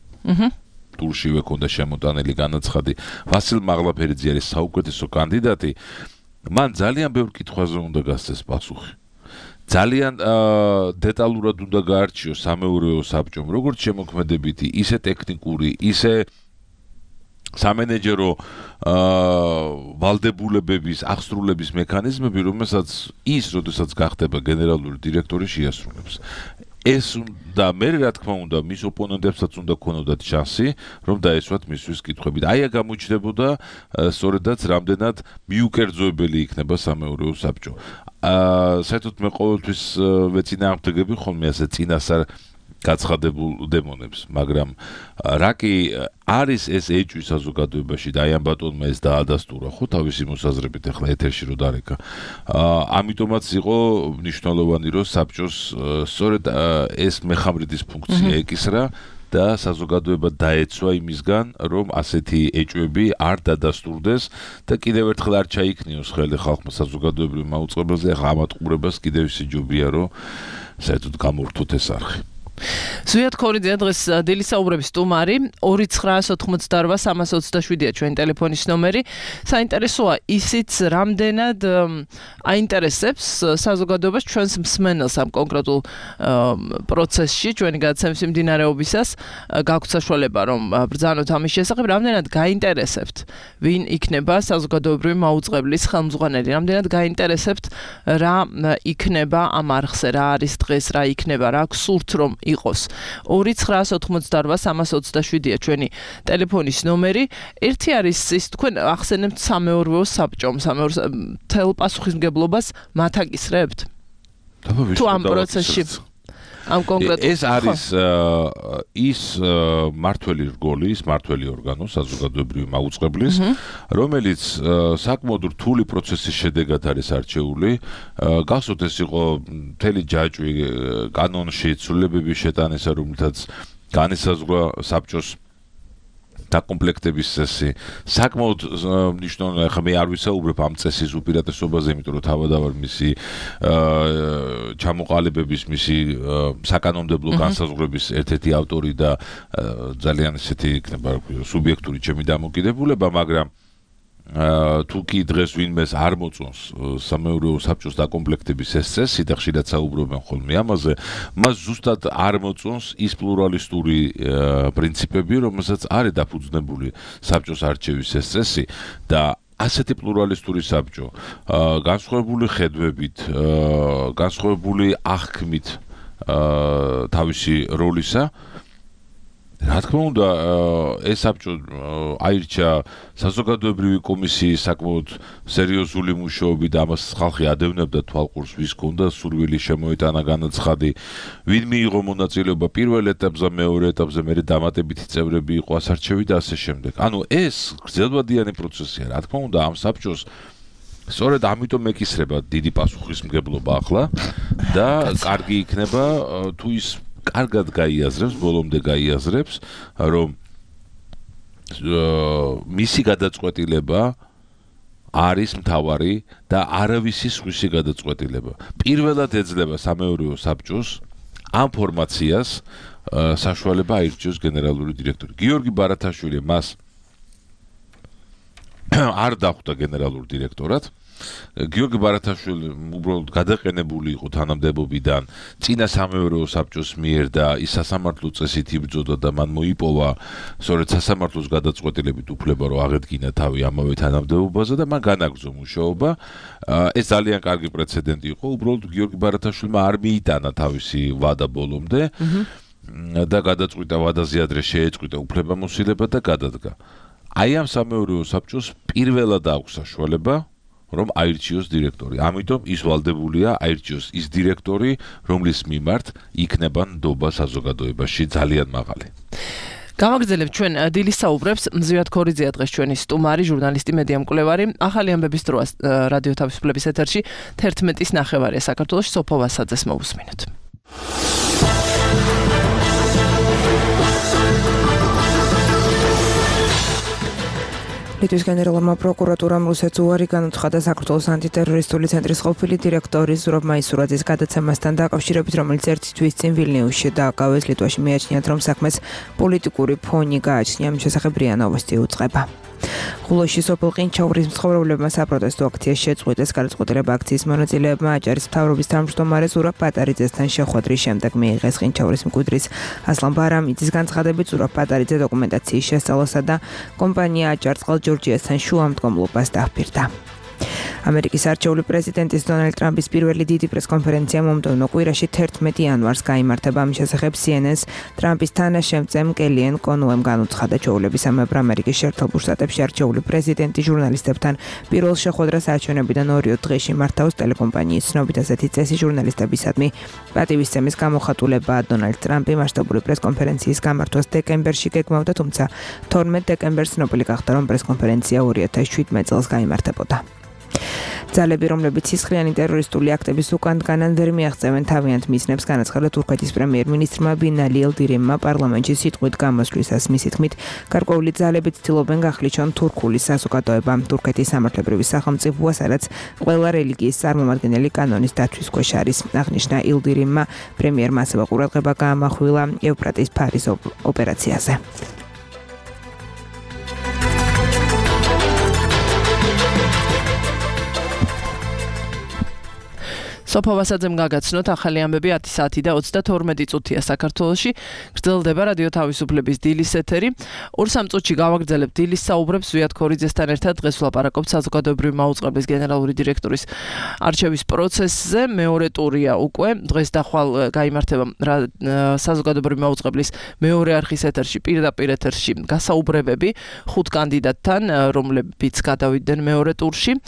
ტურშივე ქონდა შემოტანილი განაცხადი, ვასილ მაღლაფერიძე არის საუკეთესო კანდიდატი, მან ძალიან ბევრ კითხვაზე უნდა გასცეს პასუხი. ძალიან დეტალურად უნდა გაარჩიოს სამეურვეო საბჭომ, როგორც შემოქმედებითი, ისე ტექნიკური, ისე სამენეჯერო ვალდებულებების აღსრულების მექანიზმები, რომელსაც ის, როდესაც გახდება გენერალური დირექტორი, შეასრულებს. ეს და მე რა თქმა უნდა, მის ოპონენტებსაც უნდა ქონოდათ შანსი, რომ დაესვათ მისთვის კითხვებით. აი აქ გამოჩნდებოდა სწორედაც რამდენად მიუკერძოებელი იქნება სამეურვეო საბჭო. აა საერთოდ მე ყოველთვის ვეწინააღმდეგები ხოლმე ასე წინასწარ გაცხადებულ დემონებს, მაგრამ რა კი არის ეს ეჭვი საზოგადოებაში და აი ამ ბატონმა ეს დაადასტურა ხო თავისი მოსაზრებით ახლა ეთერში რო დარეკა. ამიტომაც იყო მნიშვნელოვანი რომ საბჭოს სწორედ ეს მეხამრიდის ფუნქცია ეკისრა და საზოგადოება დაეცვა იმისგან, რომ ასეთი ეჭვები არ დადასტურდეს და კიდევ ერთხელ არ ჩაიქნიოს ხელი ხალხმა საზოგადოებრივ მაუწყებელზე, ახლა ამათ ყურებას კიდევ ისე ჯობია, რომ საერთოდ გამორთოთ ეს არხი. ზვიად ქორიძე დღეს დილისაუბრების სტუმარი ორი ცხრაას ოთხმოცდაორვა სამას ოცდაშვიდია ჩვენი ტელეფონის ნომერი. საინტერესოა ისიც რამდენად აინტერესებს საზოგადოებას ჩვენს მსმენელს ამ კონკრეტულ პროცესში, ჩვენი გადაცემის მიმდინარეობისას გაგვთ საშუალება რომ ბრძანოთ ამის შესახებ, რამდენად გაინტერესებთ ვინ იქნება საზოგადოებრივი მაუწყებლის ხელმძღვანელი, რამდენად გაინტერესებთ რა იქნება ამ არხზე, რა არის დღეს, რა იქნება, რა გსურთ რომ იყოს. ორი ცხრაას ოთხმოცდაორვა სამას ოცდაშვიდია ჩვენი ტელეფონის ნომერი. ერთი არის ის თქვენ ახსენებთ სამეურვეო საბჭომ, სამეურვეო თელ პასუხისმგებლობას მათ აკისრებთ? თუ ამ პროცესში ამ კონკრეტულ ეს არის ის მართველი რგოლი, ის მართველი ორგანო საზოგადოებრივი მაუწყებლის, რომელიც საკმაოდ რთული პროცესის შედეგად არის არჩეული. გახსოვთ ეს იყო მთელი ჯაჭვი კანონში, ცვლილებების შეტანისა, რომელთაც განისაზღვრა საბჭოს დაკომპლექტების წესი. საკმაოდ მნიშვნელოვანია, ხა მე არ ვისაუბრებ ამ წესის უპირატესობაზე, იმიტომ რომ თავადავარ მისი ჩამოყალიბების, მისი საკანონმდებლო განსაზღვრების ერთ-ერთი ავტორი და ძალიან ესეთი იქნება სუბიექტური ჩემი დამოკიდებულება, მაგრამ თუ კი დღეს ვინმეს არ მოწონს სამეურვეო საბჭოს დაკომპლექტების ეს წესი და ხშირად საუბრობენ ხოლმე ამაზე, მას ზუსტად არ მოწონს ის პლურალისტური პრინციპები, რომელსაც არის დაფუძნებული საბჭოს არჩევის ეს წესი და ასეთი პლურალისტური საბჭო განსხვავებული ხედვებით, განსხვავებული აღქმით თავისი როლისა, რა თქმა უნდა, ეს საბჭო აირჩა საზოგადოებრივი კომისიის საკმაოდ სერიოზული მუშაობით, ამას ხალხი ადევნებდა თვალყურს, ვის ჰქონდა სურვილი შემოეტანა განაცხადი, ვინ მიიღო მონაწილეობა პირველ ეტაპზე, მეორე ეტაპზე, მერე დამატებითი წევრები იყო ასარჩევი და ასე შემდეგ. ანუ ეს გრძელვადიანი პროცესია, რა თქმა უნდა, ამ საბჭოს სწორედ ამიტომ ეკისრება დიდი პასუხისმგებლობა ახლა და კარგი იქნება თუ ის კარგად გაიაზრებს, ბოლომდე გაიაზრებს, რომ მისი გადაწყვეტილება არის მთავარი და არავისის სხვისი გადაწყვეტილება. პირველად ეძლევა სამეურვეო საბჭოს ამ ფორმაციას საშუალება აირჩიოს გენერალური დირექტორი. გიორგი ბარათაშვილი მას არ დახვდა გენერალურ დირექტორად. გიორგი ბარათაშვილი უბრალოდ გადაყენებული იყო თანამდებობიდან წინა სამეურვეო საბჭოს მიერ და ის სასამართლო წესით იბრძოდა და მან მოიპოვა სწორედ სასამართლოს გადაწყვეტილებით უფლება რომ აღედგინა თავი ამავე თანამდებობაზე და მან განაგრძო მუშაობა. ეს ძალიან კარგი პრეცედენტი იყო. უბრალოდ გიორგი ბარათაშვილმა არ მიიტანა თავისი ვადა ბოლომდე და გადაწყვიტა ვადაზე ადრე შეეწყვიტა უფლებამოსილება და გადადგა. აი ამ სამეურვეო საბჭოს პირველად აქვს საშუალება რომ აირჩიოს დირექტორი. ამიტომ ის ვალდებულია აირჩიოს ის დირექტორი, რომლის მიმართ იქნება ნდობა საზოგადოებაში ძალიან მაღალი. გამაგრძელებთ ჩვენ დილის საუბრებს. მზიად ქორიძეა დღეს ჩვენი სტუმარი, ჟურნალისტი, მედია მკვლევარი. ახალი ამბების დროა რადიო თავისუფლების ეთერში თერთმეტის ნახევარია საქართველოში. სოფო ვასაძეს მოусმინოთ. ლიტვის გენერალურმა პროკურატურამ რუსეთს უარი განუცხადა საქართველოს ანტიტერორისტული ცენტრის ყოფილი დირექტორი ზურაბ მაისურაძის გადაცემასთან დაკავშირებით, რომელიც ერთი თვის წინ ვილნიუსში დააკავეს. ლიტვაში მიაჩნიათ, რომ საქმეს პოლიტიკური ფონი გააჩნია. ამ შესახებ რია ნოვოსტი უწყება. ხულოში სოფელ ყინჩაურის მცხოვრებლებმა საპროტესტო აქცია შეწყვიტეს. გადაწყვეტილება აქციის მონაწილეებმა აჭარის მთავრობის თავმჯდომარე ზურაბ პატარიძესთან შეხვედრის შემდეგ მიიღეს. ყინჩაურის მკვიდრის ასლან ბარამიძის განცხადებით, ზურაბ პატარიძე დოკუმენტაციის შესწავლასა და კომპანია აჭარწყალ ჯორჯიასთან შუამდგომლობას დაჰპირდა. ამერიკის არჩეული პრეზიდენტის დონალდ ტრამპის პირველი დიდი პრესკონფერენცია მომდევნო კვირაში თერთმეტი იანვარს გაიმართება. ამ შესახებ სი ენ ენ-ს ტრამპის თანაშემწემ კელიან კონუემ განუცხადა, ჩვეულებისამებრ ამერიკის შეერთებულ შტატებში არჩეული პრეზიდენტი ჟურნალისტებთან პირველ შეხვედრას არჩევნებიდან ორი დღეში მართავს. ტელეკომპანიის ცნობით ასეთი წესი ჟურნალისტებისადმი პატივისცემის გამოხატულებაა. დონალდ ტრამპი მასშტაბური პრესკონფერენციის გამართვას დეკემბერში გეგმავდა, თუმცა თორმეტ დეკემბერს ცნობილი გახდა, რომ პრესკონფერენცია ორი ათას შვიდმეტ წელს გაიმართებოდა. ძალები, რომლებიც სისხლიანი ტერორისტული აქტების უკან დგანან ვერ მიაღწევენ თავიანთ მიზნებს, განაცხადა თურქეთის პრემიერ-მინისტრმა ბინალი ელდირიმმა პარლამენტში სიტყვით გამოსვლისას. მისი თქმით, გარკვეული ძალები ცდილობენ გახლიჩონ თურქული საზოგადოება. თურქეთის სამართლებრივი სახელმწიფოა, სადაც ყველა რელიგიის წარმომადგენელი კანონის დაცვის ქვეშ არის. აღნიშნა ელდირიმმა. პრემიერმა ასევე ყურადღება გაამახვილა ევფრატის ფარის ოპერაციაზე. სოფო ვასაძემ გაგაცნოთ ახალი ამბები ათი საათი და ოცდათორმეტი წუთია საქართველოში. გრძელდება რადიო თავისუფლების დილის ეთერი. ორ-სამ წუთში გავაგრძელებთ დილის საუბრებს ზვიად ქორიძესთან ერთად. დღეს ვლაპარაკობთ საზოგადოებრივი მაუწყებლის გენერალური დირექტორის არჩევის პროცესზე. მეორე ტურია უკვე. დღეს და ხვალ გაიმართება საზოგადოებრივი მაუწყებლის მეორე არხის ეთერში, პირდაპირ ეთერში გასაუბრებები ხუთ კანდიდატთან, რომლებიც გადავიდნენ მეორე ტურში.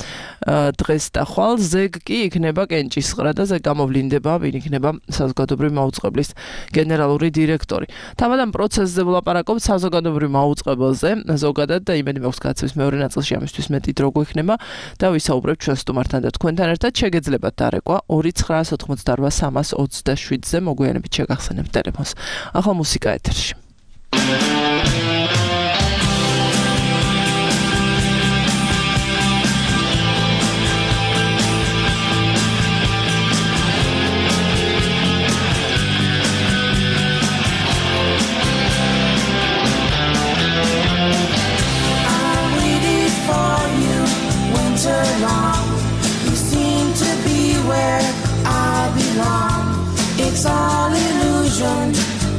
დღეს და ხვალ ზეგ კი იქნება კენჭის და ზე გამოვლინდება, ვინ იქნება საზოგადოებრივი მაუწყებლის გენერალური დირექტორი. თავად ამ პროცესზე ვლაპარაკობთ საზოგადოებრივ მაუწყებელზე ზოგადად და იმედი მაქვს გაცემის მეორე ნაწილში ამისთვის მეტი დრო გვექნება და ვისაუბრებთ ჩვენ სტუმართან და თქვენთან ერთად. შეგეძლებათ დარეკვა ორი ცხრა ოთხმოცდარბა სამას ოცდაშვიდზე მოგვიანებით შეგახსენებთ ტელეფონს. ახლა მუსიკა ეთერში. It's all illusion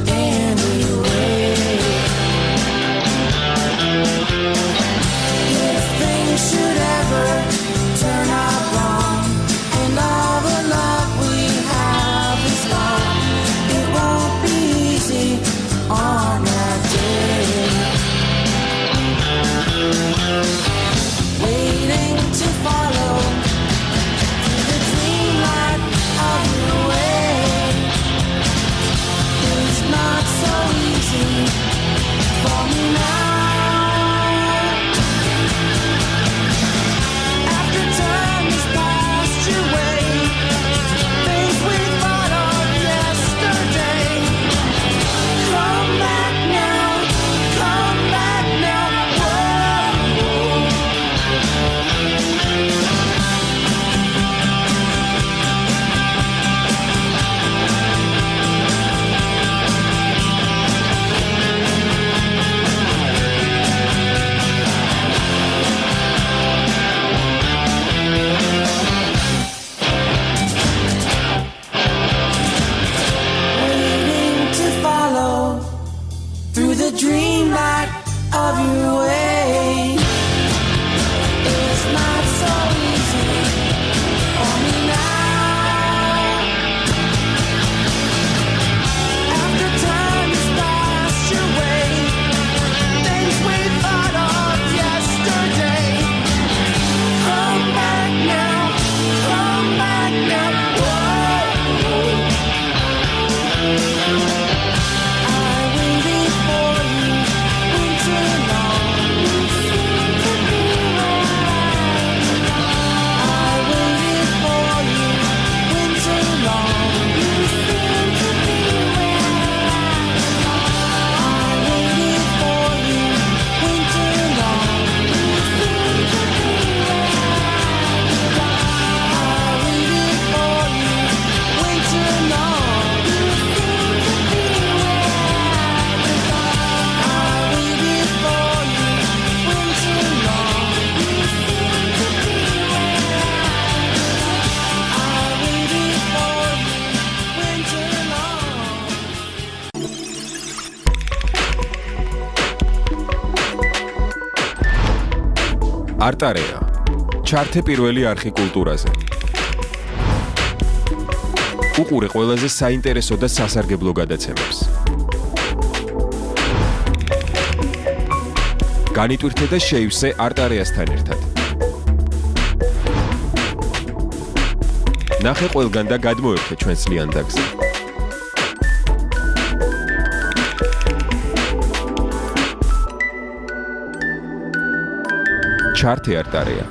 anyway. არტარეა. ჩართე პირველი არხი კულტურაზე. უყურე ყველაზე საინტერესო და სასარგებლო გადაცემებს. განიტვირთე და შეივსე არტარეასთან ერთად. ნახე ყველგან და გადმოერთე ჩვენს ლიანდაგზე. ჩართე არტარეა.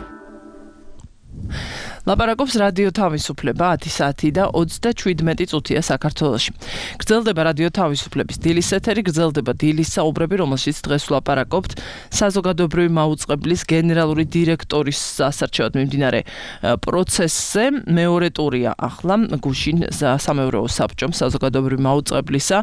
ლაპარაკობს რადიო თავისუფლება ათი საათი და ოცდაშვიდმეტი წუთია საქართველოში. გრძელდება რადიო თავისუფლების დილის ეთერი, გრძელდება დილის საუბრები, რომელშიც დღეს ვლაპარაკობთ საზოგადოებრივი მაუწყებლის გენერალური დირექტორის სასარჩევად მიმდინარე პროცესზე. მეორე ტურია ახლა გუშინ სამეურვეო საბჭომ საზოგადოებრივი მაუწყებლისა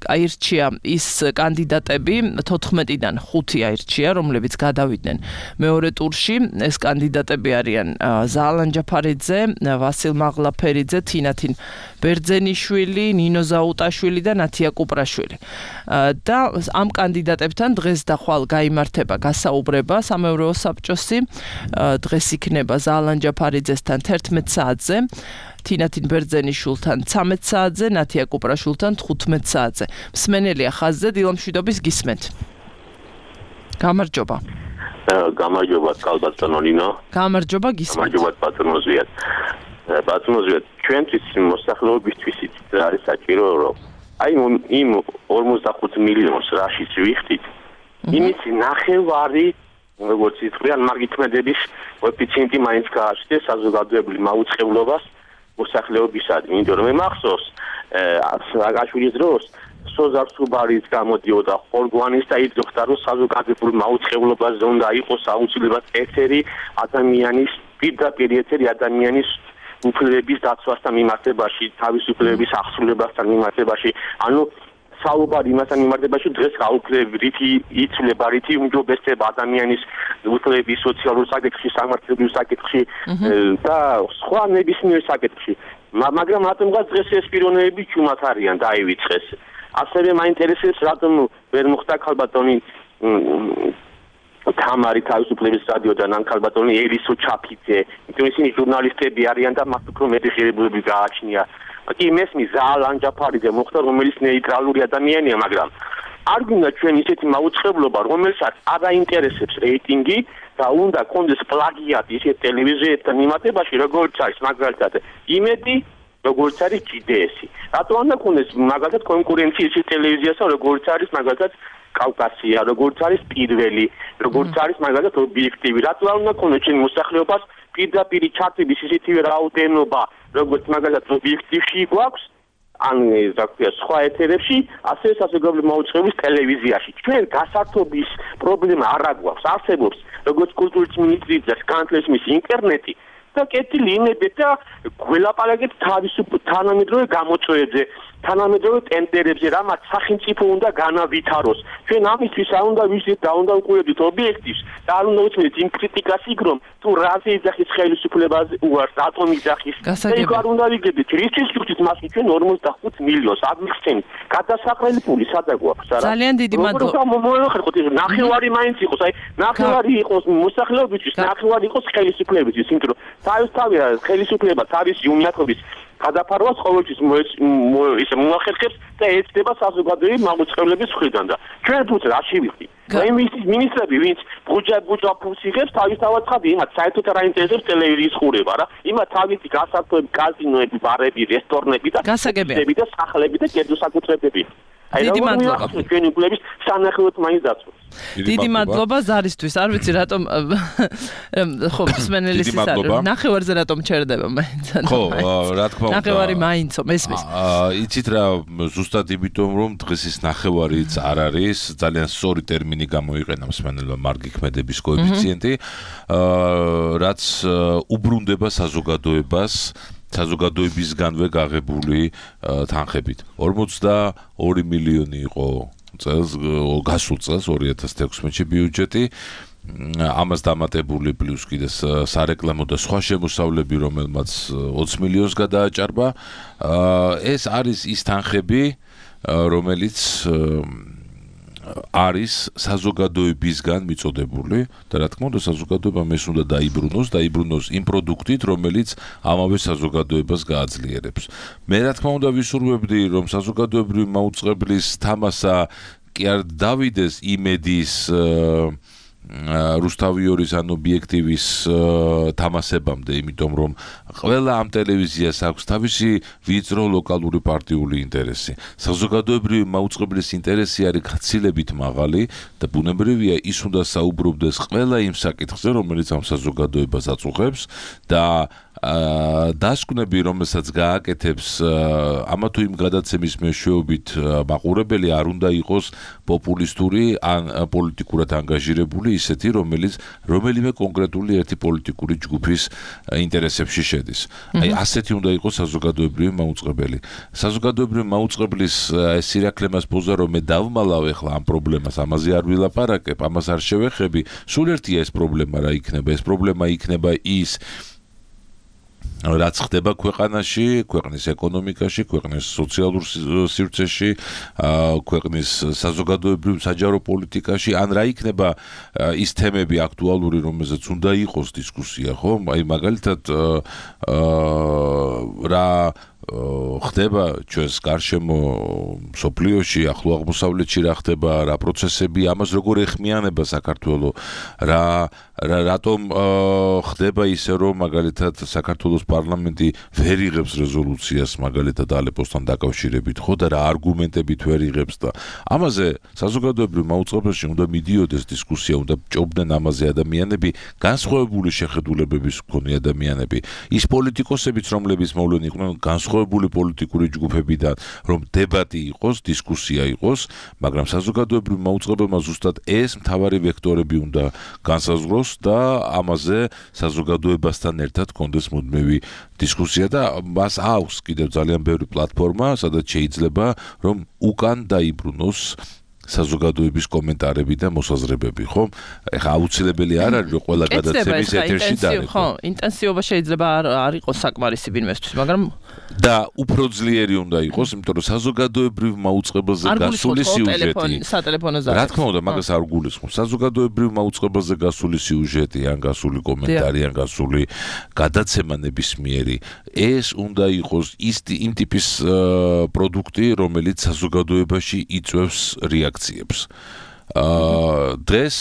აირჩია ის კანდიდატები, თოთხმეტიდან ხუთი აირჩია, რომლებიც გადავიდნენ მეორე ტურში. ეს კანდიდატები არიან ზალან ჯაფარიძე, ვასილ მაღლაფერიძე, თინათინ ბერძენიშვილი, ნინო ზაუტაშვილი და ნათია კუპრაშვილი. და ამ კანდიდატებთან დღეს და ხვალ გაიმართება გასაუბრება სამეურვეო საბჭოსი. დღეს იქნება ზალან ჯაფარიძესთან თერთმეტ საათზე, თინათინ ბერძენიშვილთან ცამეტ საათზე, ნათია კუპრაშვილთან თხუთმეტ საათზე. მსმენელია ხაზზე, დილამშვიდობის გისმენთ. გამარჯობა. გამარჯობა კალბატონო ნინო. გამარჯობა გისმენთ. გამარჯობა ბატონო ზვიად. ბატონო ზვიად, ჩვენთვის მოსახლეობისთვის იცით რა არის საჭირო, რომ აი იმ ორმოცდახუთ მილიონს რაშიც ვიხდით, იმის ნახევარი როგორც ითქვიან, მაგითმედების კოეფიციენტი მაინც გააჩნდეს საზოგადოებრივ მაუწყებლობას მოსახლეობისადმი, იმიტომ რომ მე მახსოვს სააკაშვილის დროს სოზარ სუბარის გამოდიოდა ხორგვანის და იცოდა რომ საზოგადოებრივ მაუწყებლობაზე უნდა იყოს აუცილებლად ეთერი ადამიანის პირდაპირ ეთერი ადამიანის უფლებების დაცვასთან მიმართებაში, თავისუფლების აღსრულებასთან მიმართებაში, ანუ საუბარი იმასთან მიმართებაში დღეს გაუქმებრითი იცვლება რითი უმჯობესება ადამიანის უფლების სოციალურ საკითხში, სამართლებრივ საკითხში და სხვა ნებისმიერ საკითხში. მაგრამ რატომღაც დღეს ეს პიროვნებები ჩუმად არიან დაივიწყეს. ასევე მაინტერესებს რატომ ვერ მოხდა ქალბატონი თამარი თავისუფლების რადიოდან ან ქალბატონი ერისო ჩაფიძე, იმიტომ ისინი ჟურნალისტები არიან და მათ უფრო მეტი ღირებულები გააჩნია. კი მესმის ზალან ჯაფარიძე მოხდა, რომელიც ნეიტრალური ადამიანია, მაგრამ არ გვინდა ჩვენ ისეთი მაუწყებლობა, რომელსაც არ აინტერესებს რეიტინგი და უნდა კონდეს პლაგიატი ისეთ ტელევიზიასთან მიმართებაში, როგორც არის მაგალითად იმედი, როგორც არის ჯი დი ესი. რატო უნდა კონდეს მაგალითად კონკურენცია ისეთ ტელევიზიასთან, როგორც არის მაგალითად კავკასია, როგორც არის პირველი, როგორც არის მაგალითად ობიექტივი. რატო უნდა კონდეს ჩვენ მოსახლეობას პირდაპირ ჩართების ისეთივე რაოდენობა, როგორც მაგალითად ობიექტივში გვაქვს, ან რა ქვია, სხვა ეთერებში, ასე საზოგადოებრივი მაუწყებლობის ტელევიზიაში. ჩვენ გასართობის პრობლემა არ აგვაქვს, არსებობს როგორც კულტურის მინისტრიც და კანცლერის ინტერნეტი და კეთილი იმედი და გველაპარაკეთ თავისუფლ თანამედროვე გამოწვევებზე, თანამედროვე ტენდერებზე, რამაც სახელმწიფო უნდა განავითაროს. ჩვენ ამისთვის არ უნდა ვიზით და უნდა უყურებდით ობიექტივს და არ უნდა უცნით იმ კრიტიკას იქ, რომ თუ რაზე იძახის ხელისუფლებაზე უარს, რატომ იძახის. ეგ არ უნდა ვიგებდით. რისთვის ვიხდით მასში ჩვენ ორმოცდახუთ მილიონს აღმიხსენით. გადასაყრელი პული სადა გვაქვს არა? ძალიან დიდი მადლობა. მოიხერხოთ ეს ნახევარი მაინც იყოს, აი ნახევარი იყოს მოსახლეობისთვის, ნახევარი იყოს ხელისუფლებისთვის, იმიტომ რომ თავისთავად ხელისუფლება თავისი უნიათობის გადაფარვას ყოველთვის ისე მოახერხებს და ეცდება საზოგადოებრივი მაუწყებლობის მხრიდან და ჩვენ თუთ რაში ვიხდი? მინისტრები, ვინც ბუჯა ფულს იღებს, თავისთავად ცხადი, იმათ საერთოდ არ აინტერესებს ტელევიზიის ყურება რა. იმათ თავისი გასართობები, კაზინოები, ბარები, რესტორნები და გასაგებია და სახლები და კერძოსაკუთრებები. დიდი მადლობა. ჩვენი უფლების სანახელოდ მაინც დაცვას. დიდი მადლობა ზარისთვის. არ ვიცი რატომ ხო მსმენელის ის არის. ნახევარზე რატომ ჩერდება მაინც. ხო, რა თქმა უნდა. ნახევარი მაინცო, მესმის. იცით რა, ზუსტად იმიტომ რომ დღეს ის ნახევარიც არ არის, ძალიან სწორი ტერმინი გამოიყენა მსმენელმა მარგი ქმედების კოეფიციენტი, რაც უბრუნდება საზოგადოებას საზოგადოებისგანვე გაღებული თანხებით. ორმოცდაორი მილიონი იყო წელს, გასულ წელს ორი ათას თექვსმეტში ბიუჯეტი, ამას დამატებული პლუს კიდე სარეკლამო და სხვა შემოსავლები, რომელმაც ოცი მილიონს გადააჭარბა. ეს არის ის თანხები, რომელიც არის საზოგადოებისგან მიწოდებული და რა თქმა უნდა საზოგადოებამ ეს უნდა დაიბრუნოს, დაიბრუნოს იმ პროდუქტით, რომელიც ამავე საზოგადოებას გააძლიერებს. მე რა თქმა უნდა ვისურვებდი, რომ საზოგადოებრივი მაუწყებლის თამასა კი არ დავიდეს იმედის რუსთავიორის ან ობიექტივის თამასებამდე, იმიტომ რომ ყველა ამ ტელევიზიას აქვს თავისი ვიწრო ლოკალური პარტიული ინტერესი. საზოგადოებრივი მაუწყებლის ინტერესი არის გაცილებით მაღალი და ბუნებრივია ის უნდა საუბრობდეს ყველა იმ საკითხზე, რომელიც ამ საზოგადოებას აწუხებს და დასკვნები, რომელსაც გააკეთებს ამა თუ იმ გადაცემის მეშვეობით მაყურებელი არ უნდა იყოს პოპულისტური ან პოლიტიკურად ანგაჟირებული ისეთი, რომელიც რომელიმე კონკრეტული ერთი პოლიტიკური ჯგუფის ინტერესებში შედის. აი ასეთი უნდა იყოს საზოგადოებრივი მაუწყებელი. საზოგადოებრივი მაუწყებლის სირაქლემას პოზა რომ მე დავმალავ ახლა ამ პრობლემას, ამაზე არ ვილაპარაკებ, ამას არ შევეხები, სულ ერთია ეს პრობლემა რა იქნება. ეს პრობლემა იქნება ის რაც ხდება ქვეყანაში, ქვეყნის ეკონომიკაში, ქვეყნის სოციალურ სივრცეში, ქვეყნის საზოგადოებრივ საჯარო პოლიტიკაში, ან რა იქნება ის თემები აქტუალური, რომელზეც უნდა იყოს დისკუსია, ხო? აი მაგალითად რა ხდება ჩვენს გარშემო სოფლიოში, ახლო აღმოსავლეთში რა ხდება, რა პროცესები, ამას როგორ ეხმიანება საქართველო, რა რატომ ხდება ისე რომ მაგალითად საქართველოს პარლამენტი ვერ იღებს რეზოლუციას მაგალითად ალეპოსთან დაკავშირებით, ხო და რა არგუმენტებით ვერ იღებს და ამაზე საზოგადოებრივ მაუწყებელში უნდა მიდიოდეს დისკუსია, უნდა ჭობდნენ ამაზე ადამიანები, განსხვავებული შეხედულებების მქონე ადამიანები, ის პოლიტიკოსებიც, რომლებიც მოვლენ იყვნენ განსხვავებული პოლიტიკური ჯგუფებიდან, რომ დებატი იყოს, დისკუსია იყოს, მაგრამ საზოგადოებრივ მაუწყებელმა ზუსტად ეს მთავარი ვექტორები უნდა განსაზღვროს და ამაზე საზოგადოებასთან ერთად კონდეს მუდმივი დისკუსია და მას აქვს კიდევ ძალიან ბევრი პლატფორმა, სადაც შეიძლება რომ უკან დაიბრუნოს საზოგადოების კომენტარები და მოსაზრებები, ხო? ეხლა აუცილებელი არ არის რომ ყველა გადაცემის ეთერში დაიყო. ხო, ინტენსივობა შეიძლება არ იყოს საკმარისი ვინმესთვის, მაგრამ და უფრო ძლიერი უნდა იყოს, იმიტომ რომ საზოგადოებრივ მაუწყებელზე გასული სიუჟეტი. სატელეფონო ზარს. რა თქმა უნდა, მაგას არ გულისხმობ. საზოგადოებრივ მაუწყებელზე გასული სიუჟეტი, ან გასული კომენტარი, ან გასული გადაცემა ნებისმიერი, ეს უნდა იყოს ის იმ ტიპის პროდუქტი, რომელიც საზოგადოებაში იწვევს რეაქციებს. აა დღეს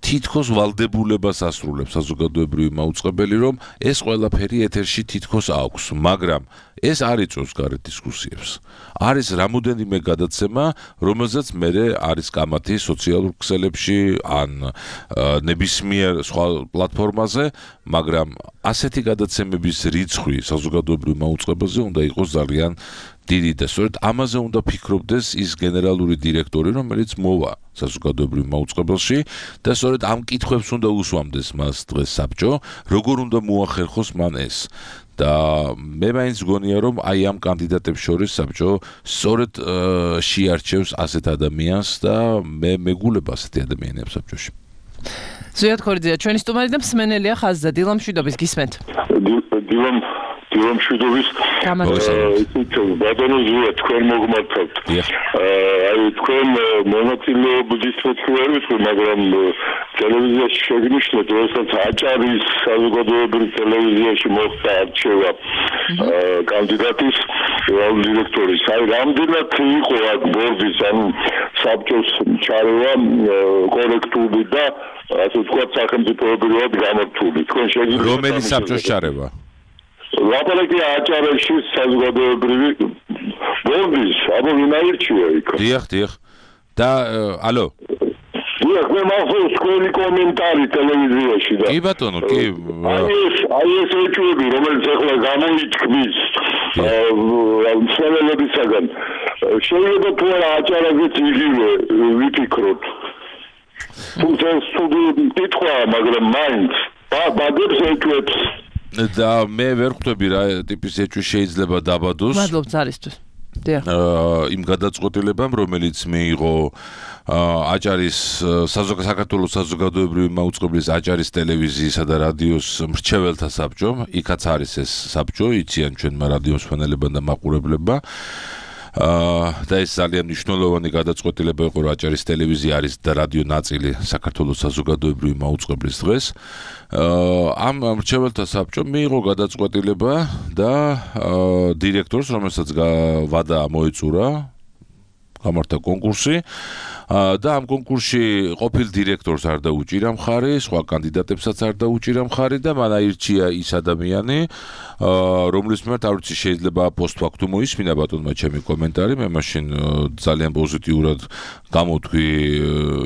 თითქოს ვალდებულებას ასრულებს საზოგადოებრივი მაუწყებელი, რომ ეს ყველაფერი ეთერში თითქოს აქვს, მაგრამ ეს არ იწვევს გარეთ დისკუსიებს. არის რამოდენიმე გადაცემა, რომელზეც მერე არის კამათი სოციალურ ქსელებში ან ნებისმიერ სხვა პლატფორმაზე, მაგრამ ასეთი გადაცემების რიცხვი საზოგადოებრივ მაუწყებელზე უნდა იყოს ძალიან დიდი და სწორედ ამაზე უნდა ფიქრობდეს ის გენერალური დირექტორი, რომელიც მოვა საზოგადოებრივ მაუწყებელში და სწორედ ამ კითხვებს უნდა უსვამდეს მას დღეს საბჭო, როგორ უნდა მოახერხოს მან ეს. და მე მაინც გონია რომ აი ამ კანდიდატებს შორის საბჭო სწორედ შეარჩევს ასეთ ადამიანს და მე მეგულება ასეთი ადამიანებს საბჭოში. ზვიად ქორიძეა ჩვენი სტუმარი და მსმენელია ხაზზე დილამ შვიდობის გისმენთ. დილამ დილამ შვიდობის ისიც ბატონო ზვიად თქვენ მოგმართავთ. აი თქვენ მონაწილეობის მეთქუარით, მაგრამ ტელევიზიაში შეგნიშნეთ, როდესაც აჭარის საზოგადოებრივ ტელევიზიაში მოხდა არჩევა კანდიდატის დირექტორის. აი რამდენად იყო აქ ბორდის ან საბჭოს ჩარევა კორექტული და ასე ვთქვათ სახელმწიფოებრივად გამართული. თქვენ შეგიძლიათ რომელი საბჭოს ჩარევა? ლაპარაკი აჭარაში საზოგადოებრივი ბორდის, აბა ვინ აირჩია იქ? დიახ, დიახ. და ალო დიახ, მე მახსოვს თქვენი კომენტარი ტელევიზიაში და კი ბატონო, კი. აი ეს, აი ეს ეჭვები, რომელიც ახლა გამოიწქმის მსმენელებისაგან, შეიძლება თუ არა აჭარაზეც იგივე ვიფიქროთ. თუმცა სტუდიო კითხვა, მაგრამ მაინც ბაგებს ეჭვებს და მე ვერ ხვდები რა ტიპის ეჭვი შეიძლება დაბადოს. მადლობ ზარისთვის. დიახ. იმ გადაწყვეტილებამ, რომელიც მიიღო აჭარის საქართველოს საზოგადოებრივი მაუწყებლის აჭარის ტელევიზიისა და რადიოს მრჩეველთა საბჭომ, იქაც არის ეს საბჭო, იციან ჩვენმა რადიოს მსმენელებმა და მაყურებლებმა. აა და ეს ძალიან მნიშვნელოვანი გადაწყვეტილება იყო, რომ აჭარის ტელევიზია არის და რადიო ნაწილი საქართველოს საზოგადოებრივი მაუწყებლის დღეს. აა ამ მრჩეველთა საბჭომ მიიღო გადაწყვეტილება და დირექტორს, რომელსაც ვადა მოეწურა, გამართა კონკურსი და ამ კონკურსში ყოფილ დირექტორს არ დაუჭირა მხარი, სხვა კანდიდატებსაც არ დაუჭირა მხარი და მან აირჩია ის ადამიანი, რომლის მიმართ არ ვიცი შეიძლება პოსტფაქტუმ მოისმინა ბატონმა ჩემი კომენტარი, მე მაშინ ძალიან პოზიტიურად გამოვთქვი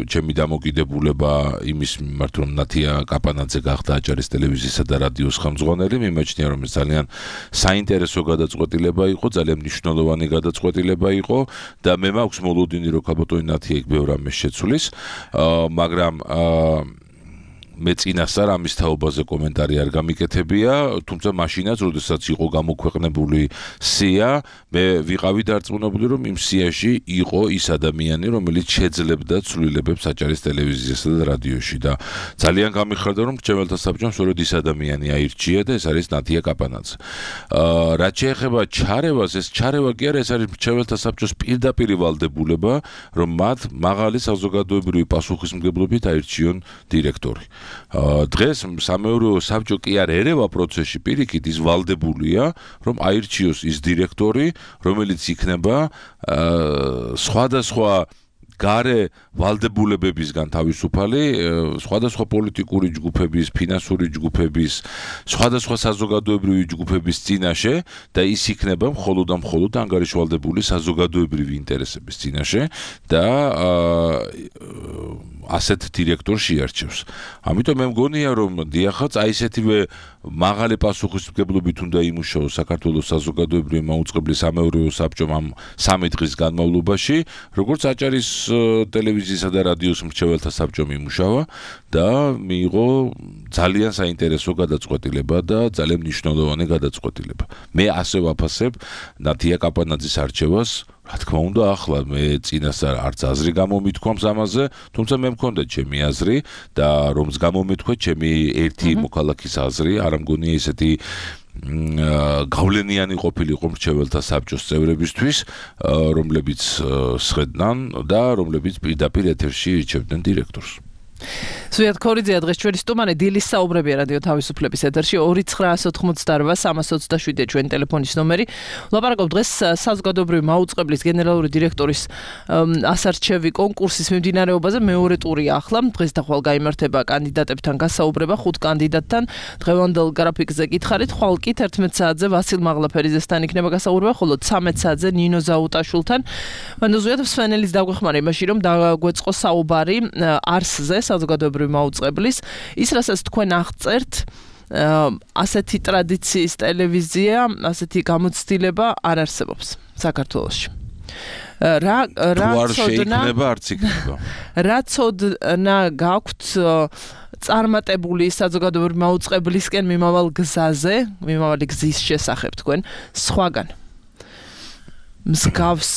ჩემი დამოკიდებულება იმის მიმართ, რომ ნათია კაპანაძე გახდა აჭარის ტელევიზიისა და რადიოს ხელმძღვანელი, მიმაჩნია რომ ეს ძალიან საინტერესო გადაწყვეტილება იყო, ძალიან მნიშვნელოვანი გადაწყვეტილება იყო და მე მაქვს მოლოდინი რომ კაბოტონი ნათია იქ ბევრ ამის შეცვლის, მაგრამ მე წინასწარ ამის თაობაზე კომენტარი არ გამიკეთებია, თუმცა მაშინაც, როდესაც იყო გამოქვეყნებული სია, მე ვიყავი დარწმუნებული, რომ იმ სიაში იყო ის ადამიანი, რომელიც შეძლებდა ცვლილებებს აჭარის ტელევიზიასა და რადიოში და ძალიან გამიხარდა, რომ მრჩეველთა საბჭომ სწორედ ის ადამიანი აირჩია და ეს არის ნათია კაპანაძე. აა რაც შეეხება ჩარევას, ეს ჩარევა კი არა, ეს არის მრჩეველთა საბჭოს პირდაპირ ვალდებულება, რომ მათ მაღალი საზოგადოებრივი პასუხისმგებლობით აირჩიონ დირექტორი. დღეს სამეურვეო საბჭო კი არ ერევა პროცესში პირიქით, ის ვალდებულია, რომ აირჩიოს ის დირექტორი, რომელიც იქნება სხვადასხვა გარე ვალდებულებებისგან თავისუფალი, სხვადასხვა პოლიტიკური ჯგუფების, ფინანსური ჯგუფების, სხვადასხვა საზოგადოებრივი ჯგუფების წინაშე და ის იქნება მხოლოდ და მხოლოდ ანგარიშვალდებული საზოგადოებრივი ინტერესების წინაშე და ასეთ დირექტორს შეარჩევს. ამიტომ მე მგონია, რომ დიახაც აი ესეთივე მაღალი პასუხისმგებლობით უნდა იმუშაოს საქართველოს საზოგადოებრივი მაუწყებლის სამეურვეო საბჭომ ამ სამი დღის განმავლობაში, როგორც აჭარის ტელევიზიისა და რადიოს მრჩეველთა საბჭომ იმუშავა და მიიღო ძალიან საინტერესო გადაწყვეტილება და ძალიან მნიშვნელოვანი გადაწყვეტილება. მე ასე ვაფასებ ნათია კაპანაძის არჩევას. რა თქმა უნდა, ახლა მე წინასწარ არც აზრი გამომითქვამს ამაზე, თუმცა მე მქონდა ჩემი აზრი და რომს გამომეთქვა ჩემი ერთი მოქალაქის აზრი, არ მგონია ესეთი გავლენიანი ყოფილიყო მრჩეველთა საბჭოს წევრებისთვის, რომლებიც სხედნან და რომლებიც პირდაპირ ეთერში ირჩევდნენ დირექტორს. სვიად ქორიძეა დღეს ჩვენი სტუმარი, დილის საუბრებია რადიო თავისუფლების ეთერში ორი ცხრაასი ოცდაოთხი სამას ოცდაშვიდი ჩვენი ტელეფონის ნომერი. ვლაპარაკობ დღეს საზოგადოებრივი მაუწყებლის გენერალური დირექტორის ასარჩევი კონკურსის მიმდინარეობაზე, მეორე ტურია ახლა. დღეს და ხვალ გაიმართება კანდიდატებთან გასაუბრება ხუთ კანდიდატთან. დღევანდელ გრაფიკზე გითხარით, ხვალ კი თერთმეტ საათზე ვასილ მაღლაფერიძესთან იქნება გასაუბრება, ხოლო ცამეტ საათზე ნინო ზაუტაშვილთან. მანდ სვენელის დაგვეხმარა იმაში, რომ დაგვეწყო საუბარი არსზე, საზოგადოებრივი მაუწყებლის, ის რასაც თქვენ აღწერთ, ასეთი ტრადიციის ტელევიზია, ასეთი გამოცდილება არ არსებობს საქართველოში. რა რა შეიქნება, არც იქნება. რა ცოდნა გაქვთ წარმატებული საზოგადოებრივი მაუწყებლისკენ მიმავალ გზაზე, მიმავალი გზის შესახებ თქვენ სხვაგან. მსგავს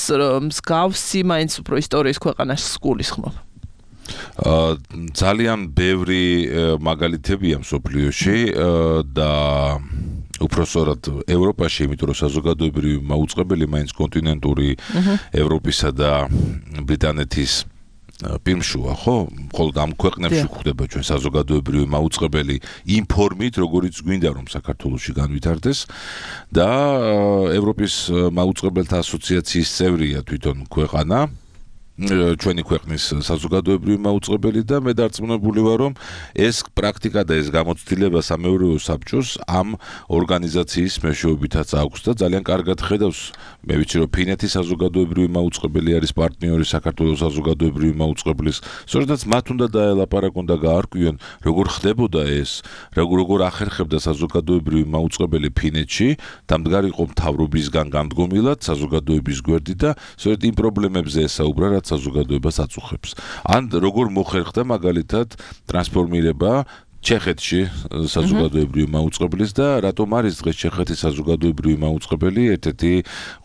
მსგავსი მაინც უფრო ისტორიის ქვეყანაში გულისხმობ. ძალიან ბევრი მაგალითებია მსოფლიოში და უпроსორად ევროპაში, იმიტომ რომ საზოგადოებრივი მაუწყებელი მაინც კონტინენტური ევროპისა და ბრიტანეთის პირმშუა, ხო? მხოლოდ ამ ქვეყნებში გვხვდება ჩვენ საზოგადოებრივი მაუწყებელი იმ ფორმით, როგორიც გვინდა რომ საქართველოში განვითარდეს და ევროპის მაუწყებელთა ასოციაციის წევრია თვითონ ქვეყანა. ჩვენი ქვეყნის საზოგადოებრივი მაუწყებელი და მე დარწმუნებული ვარ, რომ ეს პრაქტიკა და ეს გამოცდილება სამეურვეო საბჭოს ამ ორგანიზაციის მეშვეობითაც აქვს და ძალიან კარგად ხედავს. მე ვიცი, რომ ფინეთის საზოგადოებრივი მაუწყებელი არის პარტნიორი საქართველოს საზოგადოებრივი მაუწყებლის. სწორედაც მათ უნდა დაელაპარაკონ და გაარკვიონ, როგორ ხდებოდა ეს, როგორ ახერხებდა საზოგადოებრივი მაუწყებელი ფინეთში, დამდგარიყო მთავრობისგან გამდგომილად საზოგადოების გვერდით და სწორედ იმ პრობლემებზე ესაუბრა, რაც საზოგადოებას აწუხებს. ან როგორ მოხერხდა მაგალითად ტრანსფორმირება ჩეხეთში საზოგადოებრივი მაუწყებლის და რატომ არის დღეს ჩეხეთის საზოგადოებრივი მაუწყებელი ერთ-ერთი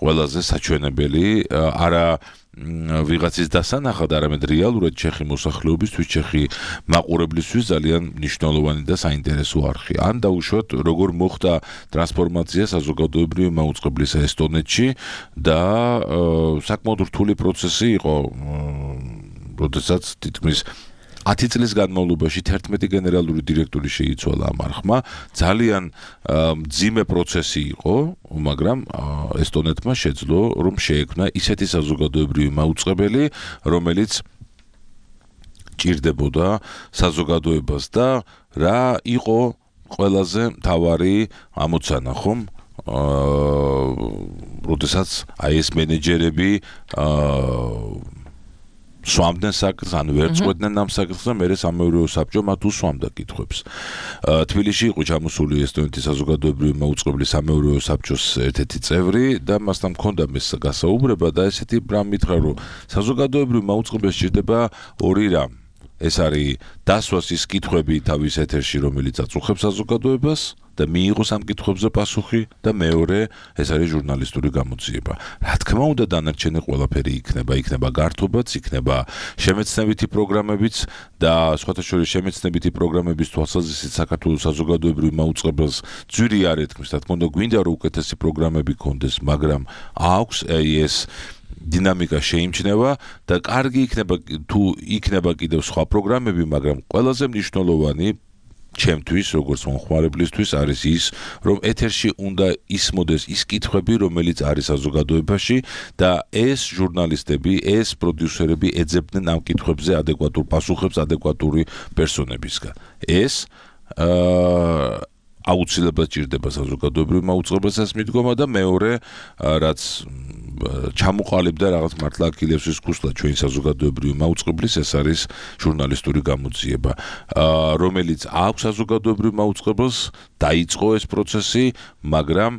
ყველაზე საჩვენებელი არა ვიღაცის დასანახად, არამედ რეალურად ჩეხი მოსახლეობისთვის, ჩეხი მაყურებლისთვის ძალიან მნიშვნელოვანი და საინტერესო არხი. ან დაუშვათ, როგორ მოხდა ტრანსფორმაცია საზოგადოებრივი მაუწყებლისა ესტონეთში და საკმაოდ რთული პროცესი იყო, როდესაც თითქმის ათი წლის განმავლობაში თერთმეტი გენერალური დირექტორი შეიცვალა ამ არხმა. ძალიან მძიმე პროცესი იყო, მაგრამ ესტონეთმა შეძლო, რომ შეექმნა ისეთი საზოგადოებრივი მაუწყებელი, რომელიც ჭირდებოდა საზოგადოებას და რა იყო ყველაზე მთავარი ამოცანა, ხომ? აა, როდესაც აი ეს მენეჯერები აა სვამდნენ საკითხს, ან ვერ წყვეტდნენ ამ საკითხს და მერე სამეურვეო საბჭო მათ უსვამდა კითხვებს. თბილისში იყო ჩამოსული ესტონეთის საზოგადოებრივი მაუწყებლის სამეურვეო საბჭოს ერთ-ერთი წევრი და მასთან მქონდა მის გასაუბრება და ესეთი რამ მითხრა, რომ საზოგადოებრივი მაუწყებელს სჭირდება ორი რამ. ეს არის დასვას ის კითხვები თავის ეთერში, რომელიც აწუხებს საზოგადოებას და მიიღოს ამ კითხვებზე პასუხი და მეორე ეს არის ჟურნალისტური გამოძიება. რა თქმა უნდა, დანარჩენი ყველაფერი იქნება, იქნება გართობაც, იქნება შემეცნებითი პროგრამებიც და სხვათა შორის შემეცნებითი პროგრამების თვალსაზრისით საქართველოს საზოგადოებრივ მაუწყებელს ძვირი არ ეთქმის, რა თქმა უნდა, გვინდა რომ უკეთესი პროგრამები კონდეს, მაგრამ აქვს ეს დინამიკა შეიმჩნევა და კარგი იქნება თუ იქნება კიდევ სხვა პროგრამები, მაგრამ ყველაზე მნიშვნელოვანი ჩემთვის, როგორც მომხმარებლისთვის არის ის, რომ ეთერში უნდა ისმოდეს ის კითხვები, რომელიც არის საზოგადოებაში და ეს ჟურნალისტები, ეს პროდიუსერები ეძებდნენ ამ კითხვებზე ადეკვატურ პასუხებს ადეკვატური პერსონებისგან. ეს აა აუცილებლად ჭირდება საზოგადოებრივ მაუწყებელსაც მიდგომა და მეორე რაც ჩამოყალიბდა რაღაც მართლა აქილევსის ის ქუსლა ჩვენი საზოგადოებრივი მაუწყებლის, ეს არის ჟურნალისტური გამოძიება, რომელიც აქვს საზოგადოებრივ მაუწყებელს, დაიწყო ეს პროცესი, მაგრამ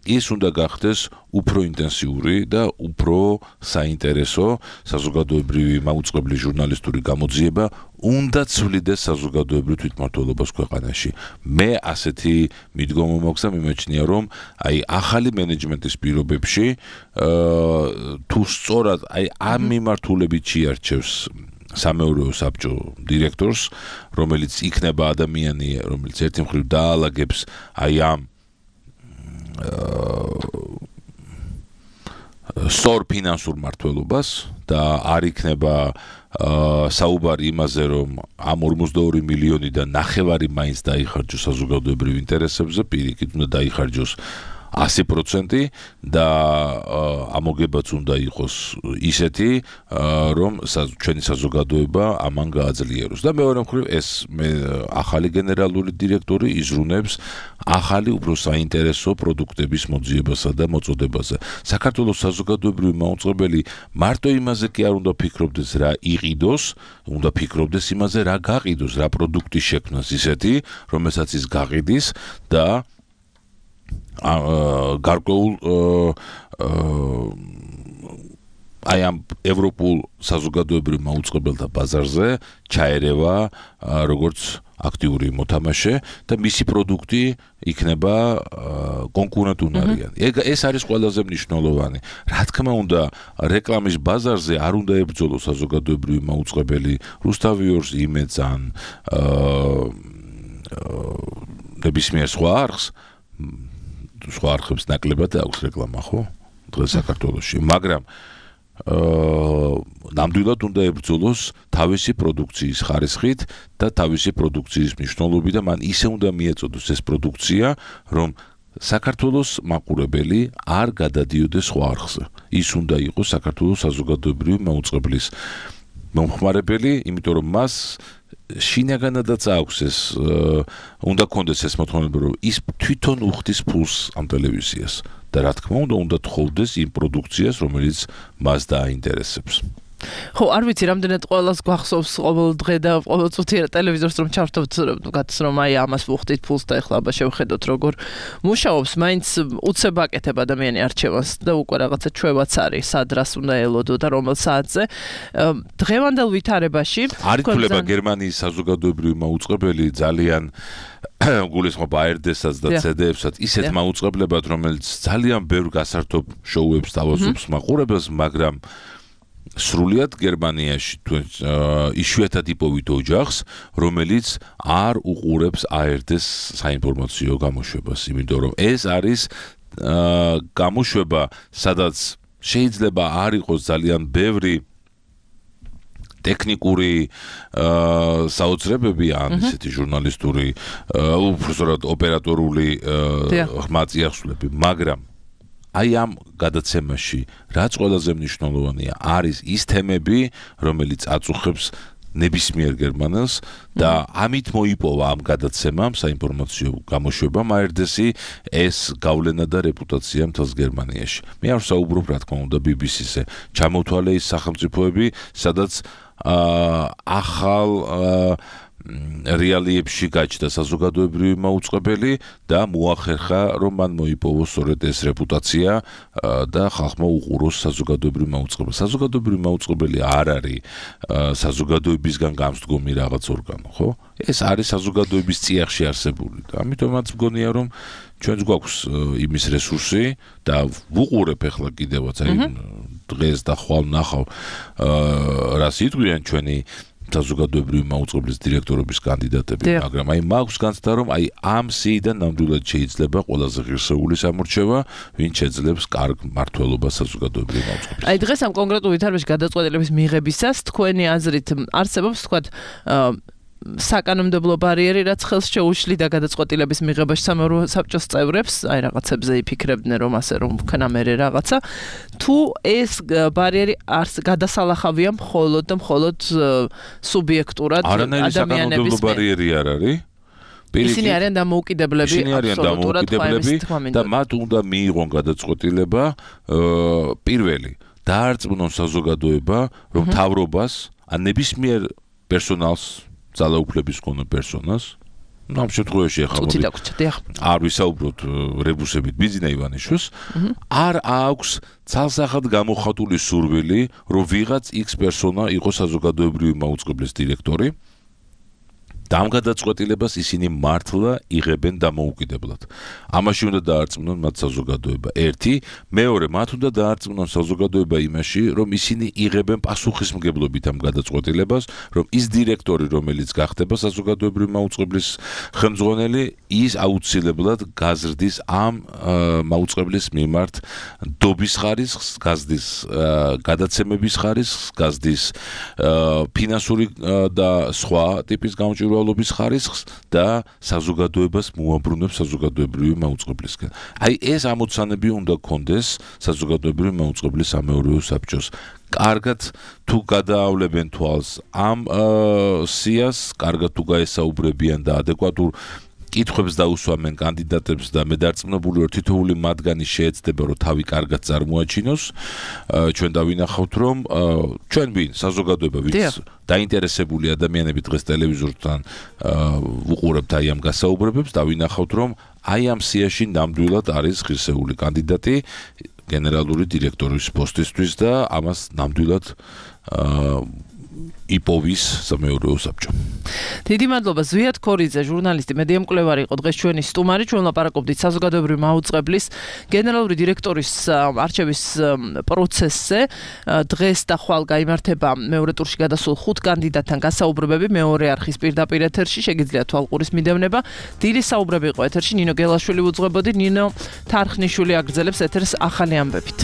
ის უნდა გახდეს უფრო ინტენსიური და უფრო საინტერესო საზოგადოებრივი მაუწყებლის ჟურნალისტური გამოძიება უნდა ცვლიდეს საზოგადოებრივ თვითმმართველობას ქვეყანაში. მე ასეთი მიდგომა მაქვს და მიმეჩნია, რომ აი ახალი მენეჯმენტის პირობებში თუ სწორად აი ამ მიმართულებით შეარჩევს სამეურვეო საბჭო დირექტორს, რომელიც იქნება ადამიანი, რომელიც ერთი მხრივ დაალაგებს აი ამ სწორ ფინანსურ მართლობას და არ იქნება საუბარი იმაზე, რომ ამ ორმოცდაორი მილიონიდან ნახევარი მაინც დაიხარჯოს საზოგადოებრივ ინტერესებზე, პირიქით უნდა დაიხარჯოს ასი პროცენტი და ამოგებაც უნდა იყოს ისეთი, რომ ჩვენი საზოგადოება ამან გააძლიეროს. და მეორე მხრივ ეს ახალი გენერალური დირექტორი იზრუნებს ახალი უფრო საინტერესო პროდუქტების მოძიებასა და მოწოდებაზე. საქართველოს საზოგადოებრივი მაუწყებელი მარტო იმაზე კი არ უნდა ფიქრობდეს, რა იყიდოს, უნდა ფიქრობდეს იმაზე, რა გაყიდოს, რა პროდუქტი შექმნას ისეთი, რომელსაც ის გაყიდის და გარკვეულ აი ამ ევროპულ საზოგადოებრივ მაუწყებელთა ბაზარზე ჩაერევა როგორც აქტიური მოთამაშე და მისი პროდუქტი იქნება კონკურენტუნარიანი. ეს არის ყველაზე მნიშვნელოვანი. რა თქმა უნდა, რეკლამის ბაზარზე არ უნდა ებრძოლოს საზოგადოებრივი მაუწყებელი რუსთავიორს, იმედს ან ნებისმიერ სხვა არხს, სხვა არხებს ნაკლებად აქვს რეკლამა, ხო? დღეს საქართველოში, მაგრამ ნამდვილად უნდა ებრძოლოს თავისი პროდუქციის ხარისხით და თავისი პროდუქციის მნიშვნელობით და მან ისე უნდა მიეწოდოს ეს პროდუქცია, რომ საქართველოს მაყურებელი არ გადადიოდეს სხვა არხზე. ის უნდა იყოს საქართველოს საზოგადოებრივი მაუწყებლის მომხმარებელი, იმიტომ რომ მას შინაგანადაც აქვს ეს უნდა კონდეს ეს მოთხოვნა, რომ ის თვითონ უხდის ფულს ამ ტელევიზიას და რა თქმა უნდა უნდა თხოვდეს იმ პროდუქციას, რომელიც მას დააინტერესებს. ხო, არ ვიცი, რამდენად ყველას გვახსოვს ყოველ დღე და ყოველ წუთი ტელევიზორს რომ ჩავთავთ, გაც რომ აი ამას ვუხდით ფულს და ეხლა აბა შევხედოთ როგორ მუშაობს, მაინც უცებ აკეთებ ადამიანი არჩევანს და უკვე რაღაცა ჩვევაც არის, სად რას უნდა ელოდო და რომელ საათზე. დღევანდელ ვითარებაში არ ითვლება გერმანიის საზოგადოებრივი მაუწყებელი ძალიან გულისხმობ ა er dé-საც და ცე დე-ებსაც ისეთ მაუწყებლებად, რომელიც ძალიან ბევრ გასართობ შოუებს თავაზობს მაყურებელს, მაგრამ სრულიად გერმანიაში იშვიათად იპოვით ოჯახს, რომელიც არ უყურებს A R D-ს საინფორმაციო გამოშვებას, იმიტომ რომ ეს არის გამოშვება, სადაც შეიძლება არ იყოს ძალიან ბევრი ტექნიკური საოცრებები ან ისეთი ჟურნალისტური, უბრალოდ ოპერატორული ხმაწიახსვლები, მაგრამ აი ამ გადაცემაში რაც ყველაზე მნიშვნელოვანია არის ის თემები, რომელიც აწუხებს ნებისმიერ გერმანელს და ამით მოიპოვა ამ გადაცემამ საინფორმაციო გამოშვებამ A R D-ს ეს გავლენა და რეპუტაცია მთელს გერმანიაში. მე არ საუბრობ რა თქმა უნდა B B C-ზე. ჩამოთვალე ის სახელმწიფოები, სადაც ახალ რეალიებში გაჩნდა საზოგადოებრივი მაუწყებელი და მოახერხა რომ მან მოიპოვოს სწორედ ეს რეპუტაცია და ხალხმა უყუროს საზოგადოებრივი მაუწყებელი. საზოგადოებრივი მაუწყებელი არ არის საზოგადოებისგან გამსდგომი რაღაც ორგანო, ხო? ეს არის საზოგადოების წიაღში არსებული და ამიტომაც მგონია რომ ჩვენც გვაქვს იმის რესურსი და ვუყურებ ახლა კიდევაც აი დღეს და ხვალ ნახავ რას იტყვიან ჩვენი საზოგადოებრივი მაუწყებლის დირექტორობის კანდიდატები, მაგრამ აი მაქვს განცდა რომ აი ამ სიიდან ნამდვილად შეიძლება ყველაზე ღირსეული სამორჩევა, ვინ შეძლებს კარგ მმართველობას საზოგადოებრივი მაუწყებლის. აი დღეს ამ კონკრეტულ ვითარებაში გადაწყვეტილების მიღებისას თქვენი აზრით არსებობს თქვათ საკანონმდებლო ბარიერი, რაც ხელს შეუშლიდა გადაწყვეტილების მიღებაში სამეურვეო საბჭოს წევრებს, აი რაღაცებზე იფიქრებდნენ რომ ასე რომ ქნა მერე რაღაცა, თუ ეს ბარიერი არს გადასალახავია მხოლოდ და მხოლოდ სუბიექტურად ადამიანების საკანონმდებლო ბარიერი არ არის? ისინი არიან დამოუკიდებლები, აბსოლუტურად და მათ უნდა მიიღონ გადაწყვეტილება პირველი დაარწმუნონ საზოგადოება, რომ მთავრობას ან ნებისმიერ პერსონალს ძალაუფლების მქონე პერსონას, ну, ამ შემთხვევაში ახლა არ ვისაუბროთ რებუსებით ბიძინა ივანიშვილს, არ აქვს ცალსახად გამოხატული სურვილი, რომ ვიღაც X პერსონა იყოს საზოგადოებრივი მაუწყებლის დირექტორი. და ამ გადაწყვეტილებას ისინი მართლა იღებენ დამოუკიდებლად. ამაში უნდა დაარწმუნონ მათ საზოგადოება. ერთი, მეორე, მათ უნდა დაარწმუნონ საზოგადოება იმაში, რომ ისინი იღებენ პასუხისმგებლობით ამ გადაწყვეტილებას, რომ ის დირექტორი, რომელიც გახდება საზოგადოებრივი მაუწყებლის ხელმძღვანელი, ის აუცილებლად გაზრდის ამ მაუწყებლის მიმართ დობის ხარისხს, გაზრდის გადაცემების ხარისხს, გაზრდის ფინანსური და სხვა ტიპის გამჭვირვალობის ვალობის ხარისხს და საზოგადოებას მოაბრუნებს საზოგადოებრივი მაუწყებლისგან. აი ეს ამოცანები უნდა კონდეს საზოგადოებრივი მაუწყებლის სამეურვეო საბჭოს. კარგად თუ გადაავლებენ თვალს ამ სიას, კარგად თუ გაესაუბრებიან და ადეკვატურ კითხვებს დაუსვამენ კანდიდატებს და მე დარწმუნებული ვარ თითოეული მათგანი შეეცდება რომ თავი კარგად წარმოაჩინოს. ჩვენ დავინახავთ რომ ჩვენ ვინ საზოგადოება ვინც დაინტერესებული ადამიანები დღეს ტელევიზორთან უყურებთ აი ამ გასაუბრებებს, დავინახავთ რომ აი ამ სიაში ნამდვილად არის ღირსეული კანდიდატი გენერალური დირექტორის პოსტისთვის და ამას ნამდვილად იპოვის სამეურვეო საბჭო. დიდი მადლობა ზვიად ქორიძე, ჟურნალისტი, მედია მკვლევარი იყო დღეს ჩვენი სტუმარი. ჩვენ ლაპარაკობდით საზოგადოებრივი მაუწყებლის გენერალური დირექტორის არჩევის პროცესზე. დღეს და ხვალ გაიმართება მეორე ტურში გადასულ ხუთ კანდიდატთან გასაუბრებები მეორე არხის პირდაპირ ეთერში. შეგიძლიათ თვალყურის მიდევნება. დილის საუბრები იყო ეთერში. ნინო გელაშვილი უძღვებოდი, ნინო თარხნიშვილი აგრძელებს ეთერს ახალი ამბებით.